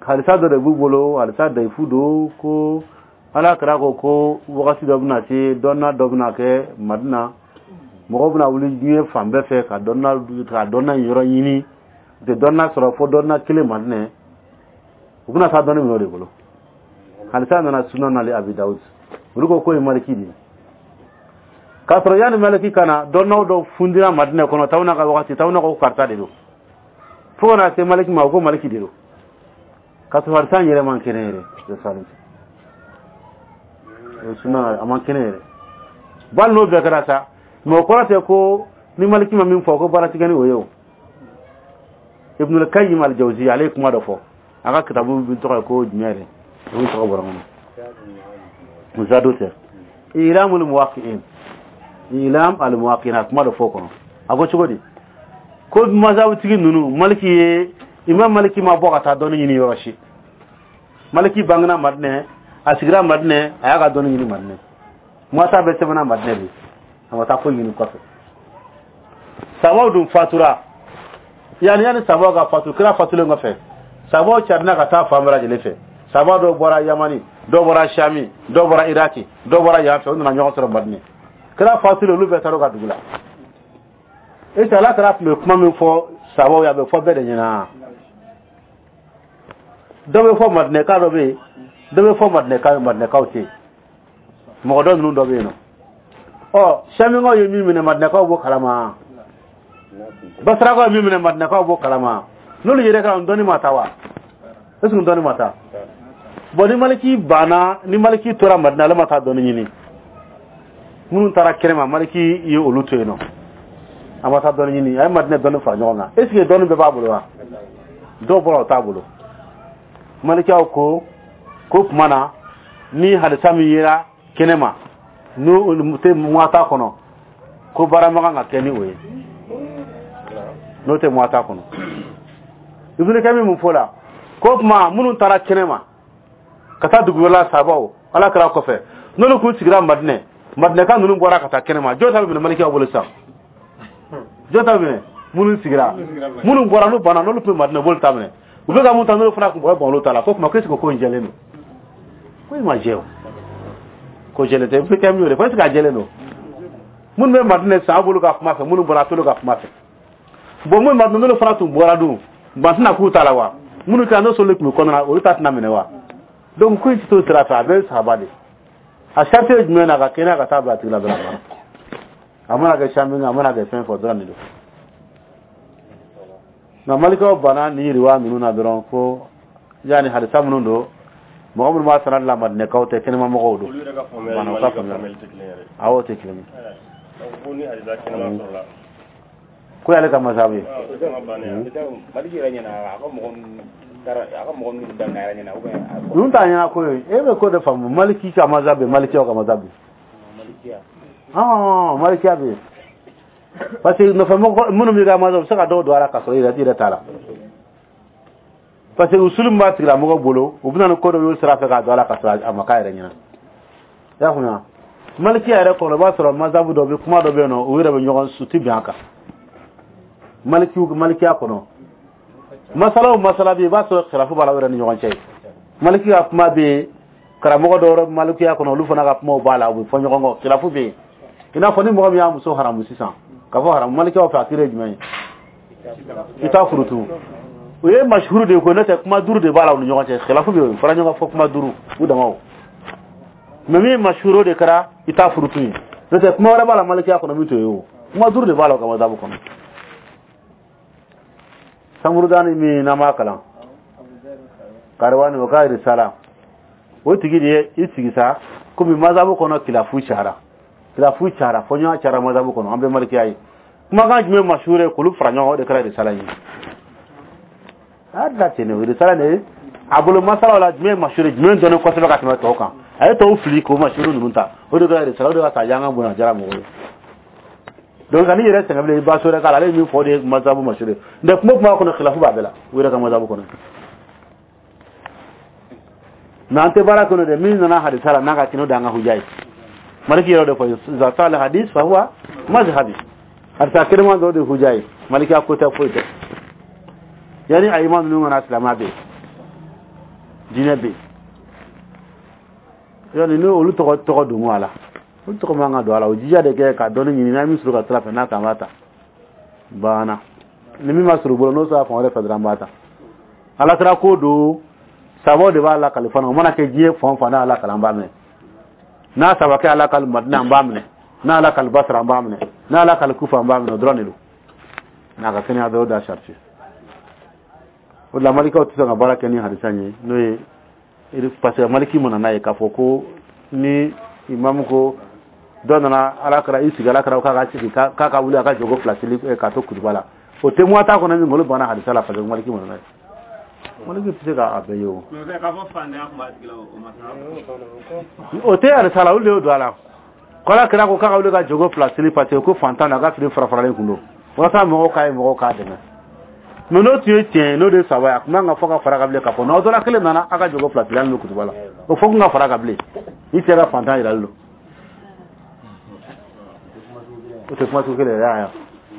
Hadisa dɔ de b'u bolo, hadisa dayifu don, ko Ala kira ko ko wagati dɔ bɛna se, dɔnna dɔ bɛna kɛ Madina, mɔgɔw bɛna wuli diɲɛ fan bɛɛ fɛ ka dɔnna ka dɔnna yɔrɔ ɲini, u tɛ dɔnna sɔrɔ fo dɔnna kelen Madinɛ, u bɛna taa dɔnni minɛ o de bolo. Hadisa nana Sunan nali Abi Dawud. Olu ko k'o ye Maliki de ye, k'a sɔrɔ yanni Maliki ka na, dɔnnaw dɔ fundira Madinɛ kɔnɔ tawuna ka wagati. Tawuna ko karisa de don, fo ka na se Maliki ma, o ko Maliki de don, k'a sɔrɔ hadisa in yɛrɛ man kɛnɛ yɛrɛ. O sunan a man kɛnɛ yɛrɛ. Bali n'o bɛɛ kɛra sa, mais o kɔrɔ tɛ ko ni Maliki ma min fɔ ko baara tigɛ ni o ye. O Ibn al-Qayyim al-Jawzi, ale ye kuma dɔ fɔ. A ka kitabu bi tɔgɔ ye ko jumɛn yɛrɛ? O tɔgɔ bɔra n kɔnɔ. Zado tɛ. Ilamul Muwaqqi'in. Ilam al Muwaqqi'in, a kuma dɔ fɔ o kɔnɔ. A ko cogo di? Ko mazhabutigi ninnu, Maliki ye, Imam Maliki ma bɔ ka taa dɔnni ɲini yɔrɔ si. Maliki bangena Madinɛ, a sigira Madinɛ, a y'a ka dɔnni ɲini Madinɛ. Muwata bɛ sɛbɛnna Madinɛ de. A ma taa foyi ɲini kɔfɛ. Sabaw dun fatura. Yani yani sabaw ka fatu, kira fatulen kɔfɛ, sabaw carina ka taa fan bɛɛ lajɛlen fɛ. Saba dɔw bɔra Yamani, dɔw bɔra Shami, dɔw bɔra Iraki, dɔw bɔra yan fɛ, u nana ɲɔgɔn sɔrɔ Madinɛ. Kira fatulen, olu bɛɛ taara u ka dugu la. Est ce que Ala kira tun bɛ kuma min fɔ sabaw ye, a bɛ fɔ bɛɛ de ɲɛna? Dɔ bɛ fɔ Madinɛka dɔ bɛ yen, dɔ bɛ fɔ Madinɛka, Madinɛkaw tɛ yen. Mɔgɔ dɔ ninnu dɔ bɛ yen nɔ. Ɔ, Shamikaw ye min minɛ, Madinɛkaw b'o kalama. Basarakaw ye min minɛ, Madinɛkaw b'o kalama. N'olu yɛrɛ ka dɔnni ma taa wa? Est ce que dɔnni ma taa? Bon, ni Maliki banna, ni Maliki tora Madina, ale ma taa dɔnni ɲini. Minnu taara kɛnɛma, Maliki ye olu to yen nɔ. A ma taa dɔnni ɲini, a ye Madina dɔnni fara ɲɔgɔn kan. Est ce que dɔnni bɛɛ b'a bolo wa? Dɔw bɔra, o t'a bolo. Malikiyaw ko ko tuma na ni hadisa min yera kɛnɛma, n'o tɛ Muwata kɔnɔ, ko baara ma kan ka kɛ ni o ye, n'o tɛ Muwata kɔnɔ. Ibn Kami mun fɔ la ko tuma minnu taara kɛnɛma ka taa dugu wɛrɛ la, sabaw Ala kɛra kɔfɛ, n'olu kun sigira Madinɛ, Madinɛka ninnu bɔra ka taa kɛnɛma, jɔn ta bɛ minɛ Malikiyaw bolo sisan? Jɔn ta bɛ minɛ? Minnu sigira, minnu bɔra n'u banna, n'olu tun bɛ Madinɛ, b'olu ta minɛ. U bɛ ka mun ta, n'olu fana kun bɔra, bɔn olu ta la. Ko tuma ko est ce que ko in jɛlen don? Ko in ma jɛ o, ko jɛlen tɛ. Ibn Kami y'o de fɔ. Est ce que a jɛlen don? Minnu bɛ Madinɛ sisan, aw b'olu ka kuma fɛ, minnu bɔra, a t'olu ka kuma fɛ. Bon, minnu Madinɛ, n'olu fana tun bɔra dun, ban tɛna k'u ta la wa? Minnu kɛra n'o sɔrɔ tun bɛ kɔnɔna na, olu ta tɛna minɛ wa? Donc ko in tɛ t'o sira fɛ, a bɛ sahaba de. A sariti ye jumɛn na? Ka kɛnɛya ka taa bila a tigi la dɔrɔn. A mana kɛ sami, a mana kɛ fɛn fɛn dɔrɔn de don. Nka Malikaw banna ni yiriwa ninnu na dɔrɔn, ko yanni hadisa minnu don, mɔgɔ minnu b'a sanad la, Madinɛkaw tɛ, kɛnɛma mɔgɔw don. Olu yɛrɛ ka faamuyali Bana, ni u ka Maliki ka faamuyali. faamuyali tɛ kelen yɛrɛ. Awɔ, o tɛ kelen ye. Donc ko ni hadisa kɛnɛma sɔrɔla. Ko y'ale ka masabu ye. Ah, o kuma bannen ya. Maliki yɛrɛ ɲɛna, a ka mɔgɔ ninnu taara, a ka mɔgɔ ninnu daminɛ a yɛrɛ ɲɛna ou bien a Ninnu t'a ɲɛna ko ye. E bɛ ko de faamu. Maliki ka masabu bɛ, Malikiyaw ka masabu bɛ. Malikiya. Ɔn, Malikiya bɛ yen. Parce que nɔfɛmɔgɔ minnu b'i ka masabu, u bɛ se ka dɔw don a la k'a sɔrɔ i yɛrɛ i yɛrɛ t'a la. Parce que usulu min b'a tigilamɔgɔ bolo, u bɛ na ni ko dɔ y'o sira fɛ k'a don a la k'a sɔrɔ a ma k'a yɛrɛ ɲɛna. I y'a faamuya? Malikiya yɛrɛ kɔnɔ, i b'a sɔrɔ masabu dɔ bɛ, kuma dɔ bɛ yen nɔ, u yɛrɛ bɛ ɲɔgɔn su ti bɛn a kan. Malikiw, Malikiya kɔnɔ, masala o masala bɛ yen, i b'a sɔrɔ khilafu b'a la u yɛrɛ ni ɲɔgɔn cɛ. Maliki ka kuma bɛ yen, karamɔgɔ dɔw yɛrɛ malikiya kɔnɔ, olu fana ka kumaw b'a la, u bɛ fɔ ɲɔgɔn kɔ, khilafu bɛ yen. I n'a fɔ ni mɔgɔ min y'a muso haramu sisan, k'a fɔ haramu malikiyaw fɛ, a kiiri ye jumɛn ye? I t'a furu tugun. O ye mashuru de ye ko n'o tɛ, kuma duuru de b'a la u ni ɲɔgɔn cɛ, khilafu bɛ yen, fara ɲɔgɔn fɔ kuma duuru u damaw. Mais min ye mashuru de kɛra, i t'a furu tun ye. N'o tɛ, kuma wɛrɛ b'a la malikiya kɔnɔ min t'o ye o. Kuma duuru de b'a la o ka mazabu kɔnɔ. Samurudani min n'an b'a kalan Kariwani, o ka risala, o tigi de ye i sigi sa komi mazabu kɔnɔ kilafu cayara, kilafu cayara, fɔɲɔgɔn cayara mazabu kɔnɔ, an bɛ malikiya ye. Kumakan jumɛn mashuru ye k'olu fara ɲɔgɔn kan, o de kɛra risala ye. A y'a dilan ten de, o risala de ye a bolo masalaw la jumɛn ye mashuru ye, jumɛn dɔnnen kosɛbɛ ka tɛmɛ tɔw kan, a ye tɔw fili k'o mashuru ninnu ta, o de kɛra risala, o de ka taa y'an ka bonya jara mɔgɔw ye. Donc ka n'i yɛrɛ sɛgɛn bilen, i ba so wɛrɛ k'a la, ale ye min fɔ, o de ye mazabu mashuru ye. Nka kuma o kuma kɔnɔ, khilafu b'a bɛɛ la u yɛrɛ ka mazabu kɔnɔ. Mais an tɛ baara kɔnɔ dɛ, min nana hadisa la n'a ka kɛnɛ, o de y'an ka huja ye. Maliki yɛrɛ de fɔ iza sala hadis fa huwa mazhabi, hadisa kɛnɛma dɔ de huja ye. Malikiya ko tɛ, foyi tɛ. Yani a iman ninnu kana, silamɛya bɛ yen, diinɛ bɛ yen. Yani ni olu tɔgɔ tɔgɔ don a la, olu tɔgɔ man ka don a la. O jija de kɛ ka dɔnni ɲini, n'a ye min sɔrɔ ka sira fɛ, n'a kan b'a ta banna. Ni min ma sɔrɔ u bolo, n'o sɔrɔ fan wɛrɛ fɛ dɔrɔn, an b'a ta. Ala kira ko don, sabaw de b'a lakali fana. O mana kɛ diɲɛ fan o fan, n'a lakali, an b'a minɛ. N'a saba kɛ ala kali Madina, an b'a minɛ. N'a lakali Basra, an b'a minɛ. N'a lakali Kufa, an b'a minɛ. O dɔrɔn de don. N'a ka kɛnɛya dɔrɔn, da sariti. O de la malikaw tɛ sɔn ka baara kɛ ni hadisa ye, n'o ye parce que maliki mana n'a ye k'a fɔ ko ni imamu ko dɔ nana Ala kɛra i sigi, Ala kɛra k'a ka sigi, k'a ka wuli a ka jɔgo fila seli k'a to kutuba la, o tɛ muwata kɔnɔ min, olu banna hadisa la parce que maliki mana n'a ye. Maliki tɛ se k'a bɛɛ ye o. Mais k'a fɔ fantanya tun b'a tigi la, o ma sa. O tɛ hadisa la, olu de y'o don a la. Kɔla kira ko k'a ka wuli ka jogo fila seli parce que ko fantan na, a ka fini fara faralen kun don walasa mɔgɔw k'a ye, mɔgɔw k'a dɛmɛ. Mais n'o tun ye tiɲɛ ye, n'o de ye saba ye, a tun man ka fɔ ka fara ka bilen k'a fɔ n'aw dɔla kelen nana, a ka jogo fila seli hali n'o kutuba la, o fɔ kun ka fara ka bilen. Ni cɛ ka fantan yirali don, o tɛ kuma sugu kelen yɛrɛ ya.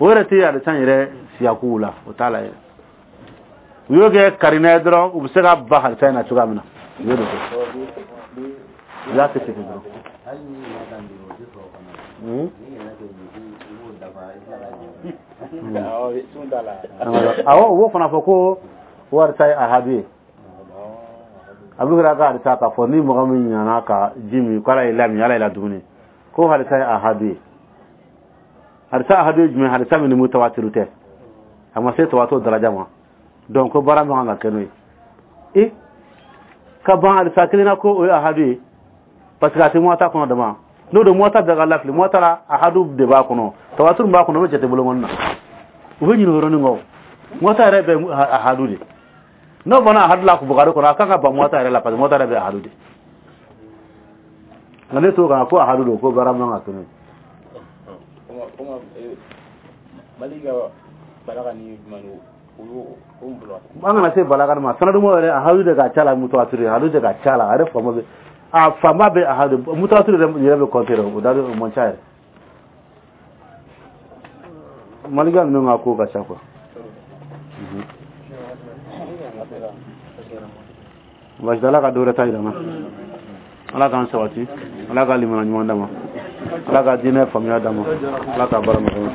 O yɛrɛ tɛ hadisa yɛrɛ siyakuw la, o t'a la yɛrɛ. U y'o kɛ karinɛ ye dɔrɔn, u bɛ se ka ba hadisa in na cogoya min na, u y'o de kɛ, u y'a kɛ ten dɔrɔn. Hali ni ɲinɛ ka di, o tɛ sɔrɔ fana. Ni ɲinɛ tɛ, i b'o dafa, i tila ka jɛ. Awɔ, u b'o fana fɔ ko o hadisa ye ahadu ye. A bɛ kɛra ka hadisa k'a fɔ ni mɔgɔ min ɲinɛna ka ji min, k'Ala y'i lamin, Ala y'i la dumuni, ko hadisa ye ahadu ye. Hadisa ahadu ye jumɛn? Hadisa min ni mutawatiru tɛ, a ma se tawato daraja ma. Donc ko baara man kan ka kɛ n'o ye. E ka ban hadisa kelen na ko o ye ahadu ye, parce que a tɛ muwata kɔnɔ dama. N'o don, muwata bɛɛ ka lafili. Muwata la, ahadu de b'a kɔnɔ, tawaturu b'a kɔnɔ, o bɛ jate bolokɔni na. U bɛ ɲinɛ o yɔrɔnin kɔ. Muwata yɛrɛ bɛ ahadu de. N'o banna ahadu la Bukari kɔnɔ, a kan ka ban muwata yɛrɛ la, parce que muwata yɛrɛ bɛ ahadu de. Nka ne t'o kan ko ahadu don, ko baara man kan ka kɛ n'o ye. Mali ka balaga ni jumɛn An kana se balaga ma. Sanadumo yɛrɛ, ahadu de ka ca la, mutawatiri ahadu de ka ca la. A yɛrɛ fanba bɛ, a fanba bɛ ahadu, mutawatiri yɛrɛ bɛ kɔnte o da, o man ca yɛrɛ. Malika ninnu ka ko ka ca quoi. Baasi, Ala ka dɔ wɛrɛ ta yira n na. Ala k'an sabati, Ala ka limana ɲuman d'a ma, Ala ka diinɛ faamuya d'a ma, Ala ka baara nɔgɔya.